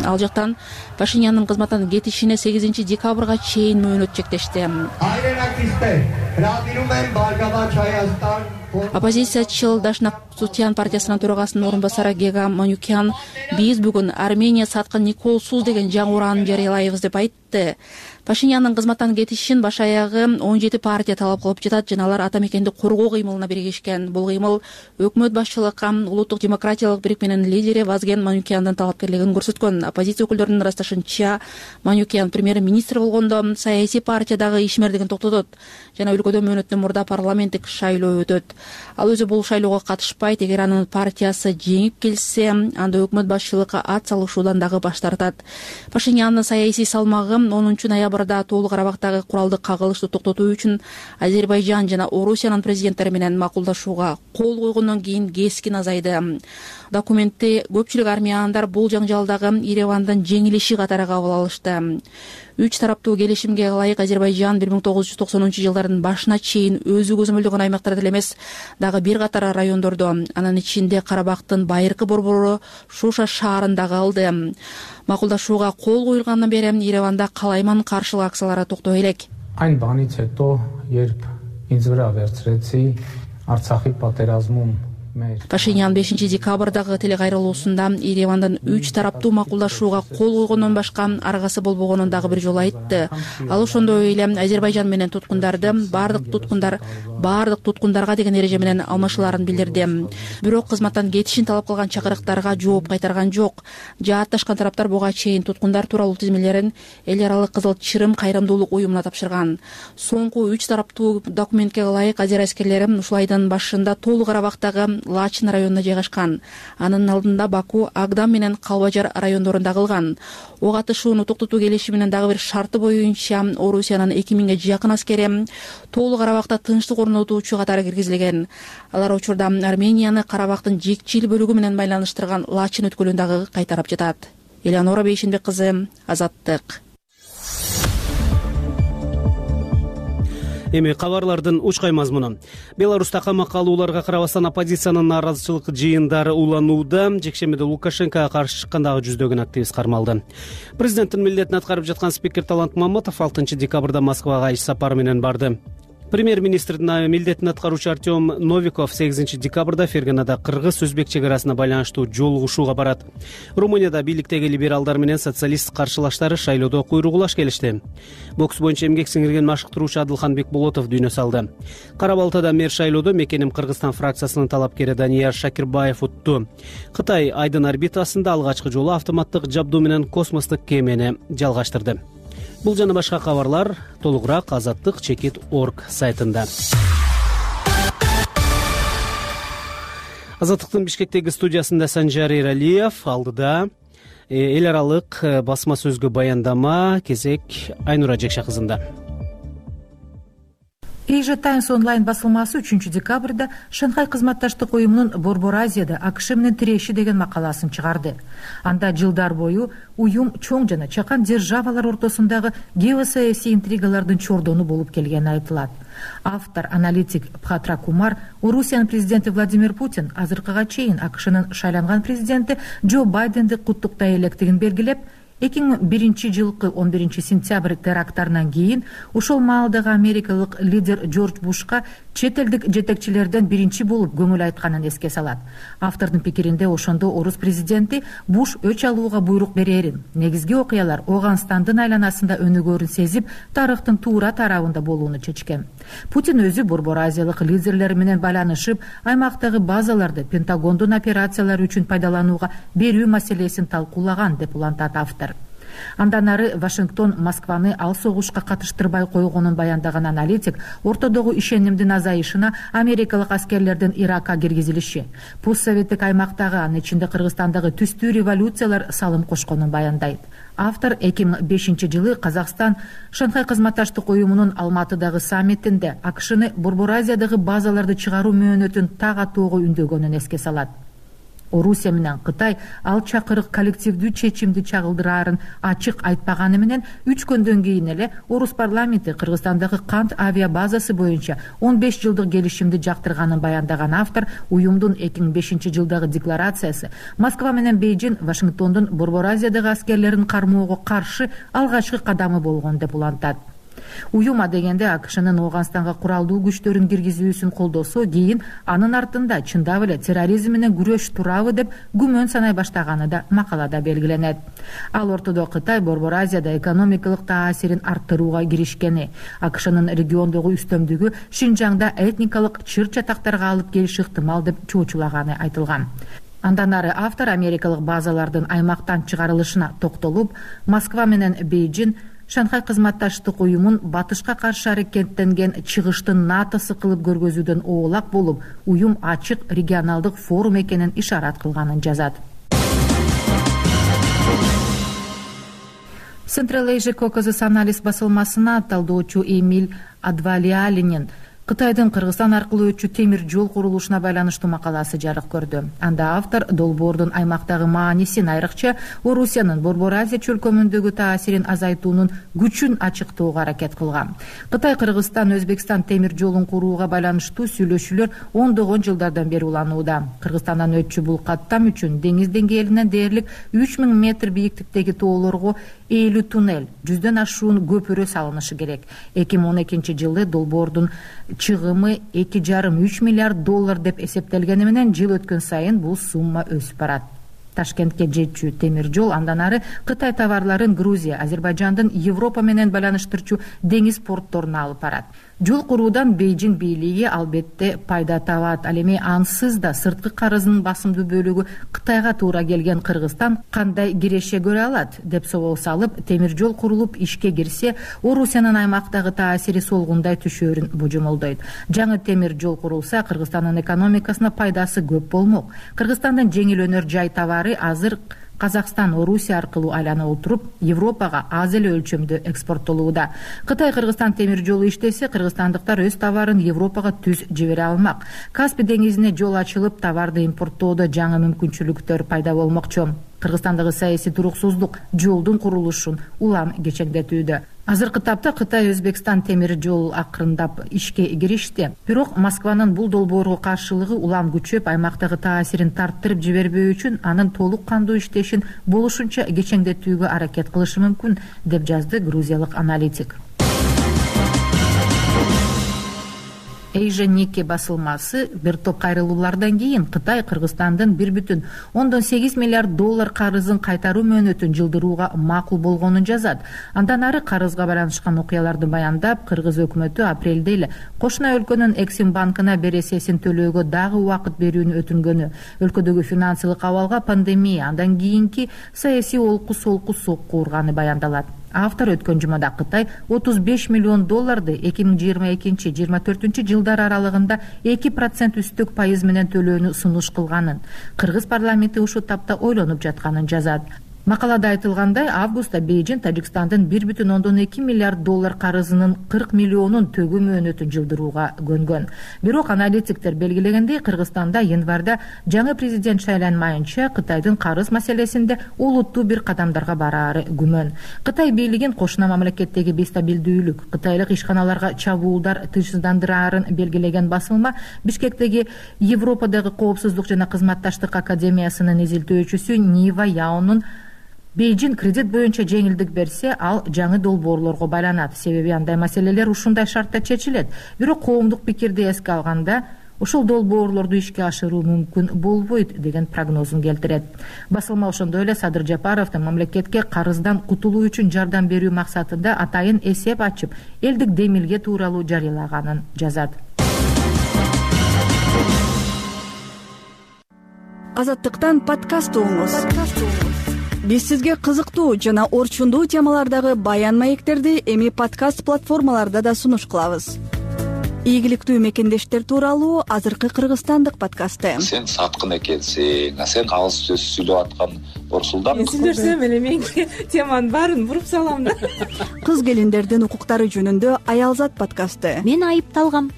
Ал жактан Пашинянын кызматтан кетишине 8 декабрга чейин мөөнөт чектешти. Оппозициячыл Дашнак Сутян партиясынын төрагасынын орун басары Гега Манюкян биз бүгүн Армения саткан Николсуз деген жаңы ураанын жарыялайбыз деп айтты. Пашинянын кызматтан кетишин баш аягы 17 партия талап кылып жатат жана алар ата мекенди коргоо кыймылына биригишкен. Бул кыймыл өкмөт башчылыкка улуттук демократиялык бирикменин лидери Вазген Манюкяндын талапкерлигин көрсөткөн. Оппозиция өкүлдөрүнүн ырасташынча Манюкян премьер-министр болгондо саясий партиядагы ишмердигин токтотот жана өлкөдө мөөнөттөн мурда парламенттик шайлоо өтөт. Ал өзү бул шайлоого катышпайт. Эгер анын партиясы жеңип келсе, анда өкмөт башчылыкка ат салышуудан дагы баш тартат. Пашинянын саясий салмагы 10 ноябрда Тоолуу Карабактагы куралдык кагылышты токтотуу үчүн Азербайжан жана Орусиянын президенттери менен макулдашууга кол койгондон кийин кескин азайды. Документти көпчүлүк армяндар бул жаңжалдагы Еревандын жеңилиши катары кабыл алышты. 3 тараптуу келишимге ылайык Азербайжан 1990-жылдардын башына чейин өзү көзөмөлдөгөн аймактарда эле эмес, дагы бир катар райондордо, анын ичинде Карабактын байыркы борбору Шуша шаарында калды. Макулдашууга кол коюлгандан бери Ереванда калайман каршылык акциялары токтой элек. Այն բանից հետո, երբ ինձ վրա վերցրեցի Արցախի պատերազմում Пашинян 5 декабрдагы телекайрылуусунда Еревандын 3 тараптуу макулдашууга кол койгондон башка аргасы болбогонун дагы бир жолу айтты. Ал ошондой эле Азербайжан менен туткундарды баардык туткундарга деген эреже менен алмашууларын билдирди. Бирок кызматтан кетишин талап кылган чакырыктарга жооп кайтарган жок. Жаатташкан тараптар буга чейин туткундар тууралуу тизмелерин эл аралык Кызыл Чырым кайрымдуулук уюмуна тапшырган. Соңку 3 тараптуу документке ылайык азер аскерлери ушул айдын башында Тоолу Карабактагы Лачин районуна жайгашкан. Анын алдында Баку, Агдам менен Калбажар райондорунда кылган. Ок атышууну токтотуу келишиминин дагы бир шарты боюнча Орусиянын 2000ге жакын аскери Тоолу Карабакта тынчтык орнотуучу катары киргизилген. Алар учурда Арменияны Карабактын жекчил бөлүгү менен байланыштырган Лачин өткөлүн дагы кайтарып жатат. Элеонора Бейшенбек кызы, Азаттык. Эми кабарлардын учкай мазмуну. Беларуста камакка алууларга карабастан оппозициянын нааразычылык жыйындары уланууда. Жекшембиде Лукашенкого каршы чыккандагы жүздөгөн активист кармалды. Президенттин милдетин аткарып жаткан спикер Талант Мамытов 6 декабрда Москвага иш сапары менен барды. Премьер-министрдин милдетин аткаруучу Артем Новиков 8 декабрда Ферганада кыргыз-өзбек чек арасына байланыштуу жолугушууга барат. Румынияда бийликтеги либералдар менен социалист каршылаштары шайлоодо куйругулаш келишти. Бокс боюнча эмгек сиңирген машыктыруучу Адылхан Бекболотов дүйнө салды. Кара Балтада мэр шайлоодо Мекеним Кыргызстан фракциясынын талапкери Данияр Шакирбаев утту. Кытай Айдын орбитасында алгачкы жолу автоматтык жабдуу менен космостук кемени жалгаштырды. Бул жана башка кабарлар толугураак Азаттык.org сайтында. Азаттыктын Бишкектеги студиясында Санжар Эралиев, алдыда эл аралык басма сөзгө баяндама кезек Айнура Жекша кызында. Asia Times онлайн басылмасы 3 декабрда Шанхай кызматташтык уюмунун Борбор Азияда АКШ менен тиреши деген макаласын чыгарды. Анда жылдар бою уюм чоң жана чакан державалар ортосундагы геосаясий интригалардын чордону болуп келгени айтылат. Автор, аналитик Бхатра Кумар Орусиянын президенти Владимир Путин азыркыга чейин АКШнын шайланган президенти Джо Байденди куттуктай электигин белгилеп, 2001 жылкы 11 сентябрь теракттарынан кийин ошол маалдагы америкалык лидер Джордж Бушка чет элдик жетекчилерден биринчи болуп көңүл айтканын эске салат. Автордун пикиринде ошондо орус президенти Буш өч алууга буйрук берерин, негизги окуялар Оганстандын айланасында өнүгөрүн сезип, тарыхтын туура тарабында болууну чечкен. Путин өзү Борбор Азиялык лидерлер менен байланышып, аймактагы базаларды Пентагондун операциялары үчүн пайдаланууга берүү маселесин талкуулаган деп улантат автор. Андан ары Вашингтон Москваны ал согушка катыштырбай койгонун баяндаган аналитик ортодогу ишенимдин азайышына америкалык аскерлердин Иракка киргизилиши, постсоветтик аймактагы, анын ичинде Кыргызстандагы түстүү революциялар салым кошконун баяндайт. Автор 2005 жылы Казакстан Шанхай кызматташтык уюмунун Алматыдагы саммитинде АКШны Борбор Азиядагы базаларды чыгаруу мөөнөтүн так атоого үндөгөнүн эске салат. Орусия менен Кытай ал чакырык коллективдүү чечимди чагылдыраарын ачык айтпаганы менен 3 күндөн кийин эле Орус парламенти Кыргызстандагы кант авиа базасы боюнча 15 жылдык келишимди жактырганын баяндаган автор уюмдун 2005 жылдагы декларациясы Москва менен Бейжин Вашингтондун Борбор Азиядагы аскерлерин кармоого каршы алгачкы кадамы болгон деп улантат. Уюм дегенде АКШнын Оганстанга куралдуу күчтөрүн киргизүүсүн колдосо, кийин анын артында чындап эле терроризм менен күрөш турабы деп күмөн санай баштаганы да макалада белгиленет. Ал ортодо Кытай Борбор Азияда экономикалык таасирин арттырууга киришкени, АКШнын региондогу үстөмдүгү Шинжаңда этникалык чыр-чатактарга алып келиши ыктымал деп чоочулаганы айтылган. Андан ары автор америкалык базалардын аймактан чыгарылышына токтолуп, Москва менен Бейжин Шанхай кызматташтык уюмун батышка каршы аракеттенген чыгыштын натасы кылып көргөзүүдөн оолак болуп, уюм ачык регионалдык форум экенин ишарат кылганын жазат. Central Asia Caucasus анализ басылмасына талдоочу Эмиль Адвалиалинин Кытайдын Кыргызстан аркылуу өтчү темир жол курулушуна байланыштуу макаласы жарык көрдү. Анда автор долбоордун аймактагы маанисин, айрыкча Орусиянын Борбор Азия чөлкөмүндөгү таасирин азайтуунун күчүн ачыктоого аракет кылган. Кытай Кыргызстан Өзбекстан темир жолун курууга байланыштуу сүйлөшүүлөр ондогон жылдардан бери уланууда. Кыргызстандан өтчү бул каттам үчүн деңиз деңгээлинен дээрлик 3000 метр бийиктиктеги тоолорго ээлүү туннель, 100дөн ашуун көпүрө салынышы керек. 2012-жылы долбоордун чыгымы 2,5–3 миллиард доллар деп эсептелгени менен жыл өткөн сайын бул сумма өсүп барат. Ташкентке жетчү темир жол андан ары Кытай товарларын Грузия, Азербайжандын Европа менен байланыштырчу деңиз портторуна алып барат. Жол куруудан Бейжиң бийлиги албетте пайда табат. Ал эми ансыз да сырткы карызынын басымдуу бөлүгү Кытайга туура келген Кыргызстан кандай киреше көрө алат деп собол салып, темир жол курулуп ишке кирсе, Орусиянын аймактагы таасири солгундай түшөөрүн божомолдойт. Жаңы темир жол курулса, Кыргызстандын экономикасына пайдасы көп болмок. Кыргызстандын жеңил өнөр жай товары азыр Казакстан, Орусия аркылуу айлана отуруп, Европага аз эле өлчөмдө экспорттолууда. Кытай-Кыргызстан темир жолу иштесе, кыргызстандыктар өз товарын Европага түз жибере алмак. Каспий деңизине жол ачылып, товарды импорттоодо жаңы мүмкүнчүлүктөр пайда болмокчу. Кыргызстандагы саясий туруксуздук жолдун курулушун улам кечеңдетүүдө. Азыркы тапта Кытай Өзбекстан темир жол акырындап ишке киришти. Бирок Москванын бул долбоорго каршылыгы улам күчөп, аймактагы таасирин тарттырып жибербөө үчүн анын толук кандуу иштешин болушунча кечеңдетүүгө аракет кылышы мүмкүн, деп жазды грузиялык аналитик. Эйжа Нике басылмасы бир топ кайрылуулардан кийин Кытай Кыргызстандын 1,8 миллиард доллар карызын кайтаруу мөөнөтүн жылдырууга макул болгонун жазат. Андан ары карызга байланышкан окуяларды баяндап, Кыргыз өкмөтү апрелде эле кошуна өлкөнүн Эксим банкына бересесин төлөөгө дагы убакыт берүүнү өтүнгөнү, өлкөдөгү финансылык абалга пандемия, андан кийинки саясий олку-солку сокку урганы баяндалат. Автор өткөн жумада Кытай 35 миллион долларды 2022-2024 жылдар аралыгында 2% үстүк пайыз менен төлөөнү сунуш кылганын, Кыргыз парламенти ушул тапта ойлонуп жатканын жазат. Макалада айтылгандай, августта Бейжиң Тажикстандын 1,2 миллиард доллар карызынын 40 миллионун төгүү мөөнөтүн жылдырууга көнгөн. Бирок аналитиктер белгилегендей, Кыргызстанда январда жаңы президент шайланмайынча Кытайдын карыз маселесинде олуттуу бир кадамдарга бараары күмөн. Кытай бийлигин кошуна мамлекеттеги бестабилдүүлүк, кытайлык ишканаларга чабуулдар тынчсыздандыраарын белгилеген басылма Бишкектеги Европадагы коопсуздук жана кызматташтык академиясынын изилтөөчүсү Нива Яонун Бейжиң кредит боюнча жеңилдик берсе, ал жаңы долбоорлорго байланат. Себеби андай маселелер ушундай шартта чечилет. Бирок коомдук пикирди эске алганда, ушул долбоорлорду ишке ашыруу мүмкүн болбойт деген прогнозун келтирет. Басылма ошондой эле Садыр Жапаровдун мамлекетке карыздан кутулуу үчүн жардам берүү максатында атайын эсеп ачып, элдик демилге тууралуу жарыялаганын жазат. Азаттыктан подкаст угуңуз. Биз сизге кызыктуу жана орчундуу темалардагы баян маектерди эми подкаст платформаларда да сунуш кылабыз. Ийгиликтүү мекендештер тууралуу азыркы кыргызстандык подкасты. Сен саткын экенсиң, сен алыс сөз сүйлөп аткан Орсулдан. Мен сүйлөсөм эле мен теманын баарын буруп салам да. Кыз келиндердин укуктары жөнүндө Аялзат подкасты. Мен айыпталгам.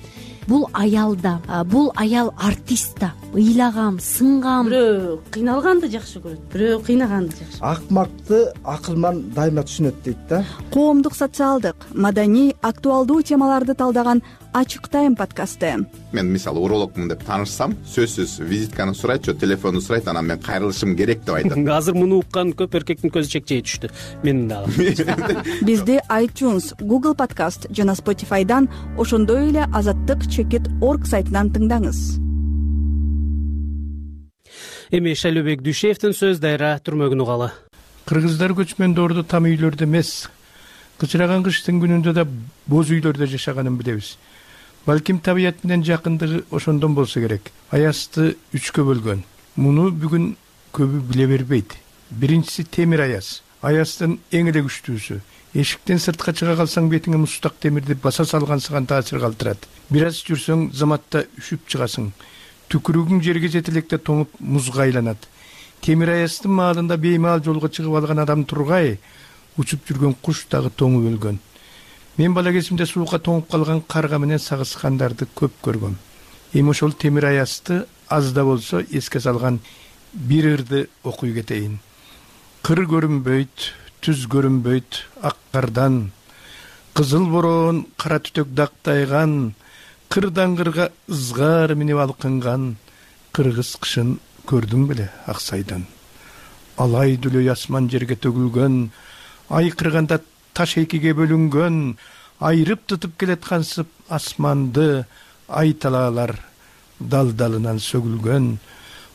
Бул аял да, бул аял артист да. Ыйлагам, сынгам. Бирөө кыйналганды жакшы көрөт, бирөө кыйнаганды жакшы. Акмакты акылман дайыма түшүнөт дейт да. Коомдук, социалдык, маданий, актуалдуу темаларды талдаган Ачык тайм подкасты. Мен мисалы урологмун деп таанышсам, сөзсүз визитканы сурайт, телефонду сурайт, анан мен кайрылышым керек деп айтат. Азыр муну уккан көп эркектин көзү чекчей түштү. Менин дагы. Бизди iTunes, Google Podcast жана Spotify'дан, ошондой эле azattyk.org сайтынан тыңдаңыз. Эми Шайлообек Дүйшеевдин сөз дайра түрмөгүн угалы. Кыргыздар көчмөндөрдү там үйлөрдө эмес, кычыраган кыштын күнүндө да боз үйлөрдө жашаганын билебиз. Балким табият менен жакындыгы ошондон болсо керек. Аязды 3кө бөлгөн. Муну бүгүн көбү биле бербейт. Биринчиси темир аяз. Аяздын эң эле күчтүүсү. Эшиктен сыртка чыга калсаң бетиңе мустак темирди баса салгансыган таасир калтырат. Бир аз жүрсөң заматта үшүп чыгасың. Түкүрүгүң жерге жете электе тоңуп музга айланат. Темир аяздын маалында беймаал жолго чыгып алган адам тургай, учуп жүргөн куш дагы тоңуп өлгөн. Мен бала кезимде суукка тоңуп калган карга менен сагышкандарды көп көргөм. Эми ошол темир аязды аз да болсо эске салган бир ырды окуй кетейин. Кыр көрүнбөйт, түз көрүнбөйт ак кардан, кызыл бороон кара түтөк дактайган, кырдан кырга ызгар минип алкынган кыргыз кышын көрдүң беле Аксайдан. Алай дүлөй асман жерге төгүлгөн, айкырганда таш экиге бөлүнгөн, айрып тутуп келаткансып асманды ай талаалар дал-далынан сөгүлгөн.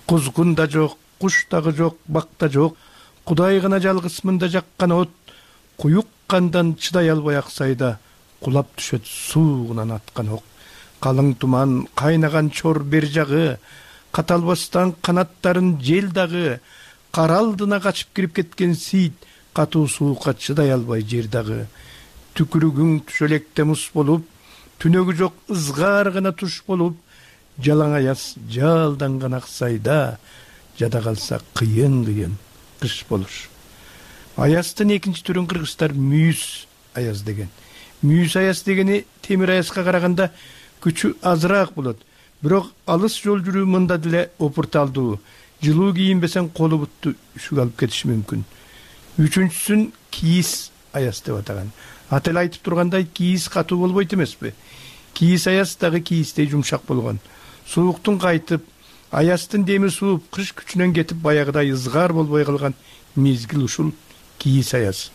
Кузгун да жок, куш дагы жок, бак да жок, Кудай гана жалгыз мында жаккан от, куюк кандан чыдай албай аксайда кулап түшөт суугунан аткан ок. Калың туман, кайнаган чор бер жагы, каталбастан канаттарын жел дагы, кара алдына качып кирип кеткен сейит, катуу суукка чыдай албай жер дагы. Түкүрүгүң түшөлекте мус болуп, түнөгү жок ызгаар гана туш болуп, жалаң аяз жалданган аксайда, жада калса кыйын кыш болур. Аяздын экинчи түрүн кыргыздар мүйүз аяз деген. Мүйүз аяз дегени темир аязга караганда күчү азыраак болот. Бирок алыс жол жүрүү мында деле опурталдуу. Жылуу кийинбесең колу бутту үшүк алып кетиши мүмкүн. Үчүнчүсүн кийиз аяз деп атаган. Аты эле айтып тургандай, кийиз катуу болбойт эмеспи? Кийиз аяз дагы кийиздей жумшак болгон. Сууктун кайтып, аяздын деми сууп, кыш күчүнөн кетип баягыдай ызгаар болбой калган мезгил ушул кийиз аяз.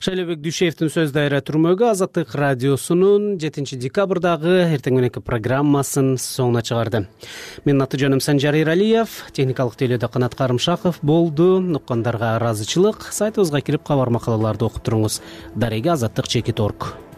Шайлообек Дүйшеевдин сөз дайра түрмөгү Азаттык радиосунун 7 декабрдагы эртең мененки программасын соңуна чыгарды. Менин аты жөнүм Санжар Эралиев, техникалык тейлөөдө Канат Карымшаков болду. Уккандарга ыраазычылык. Сайтыбызга кирип кабар макалаларды окуп туруңуз. Дареге Азаттык /org.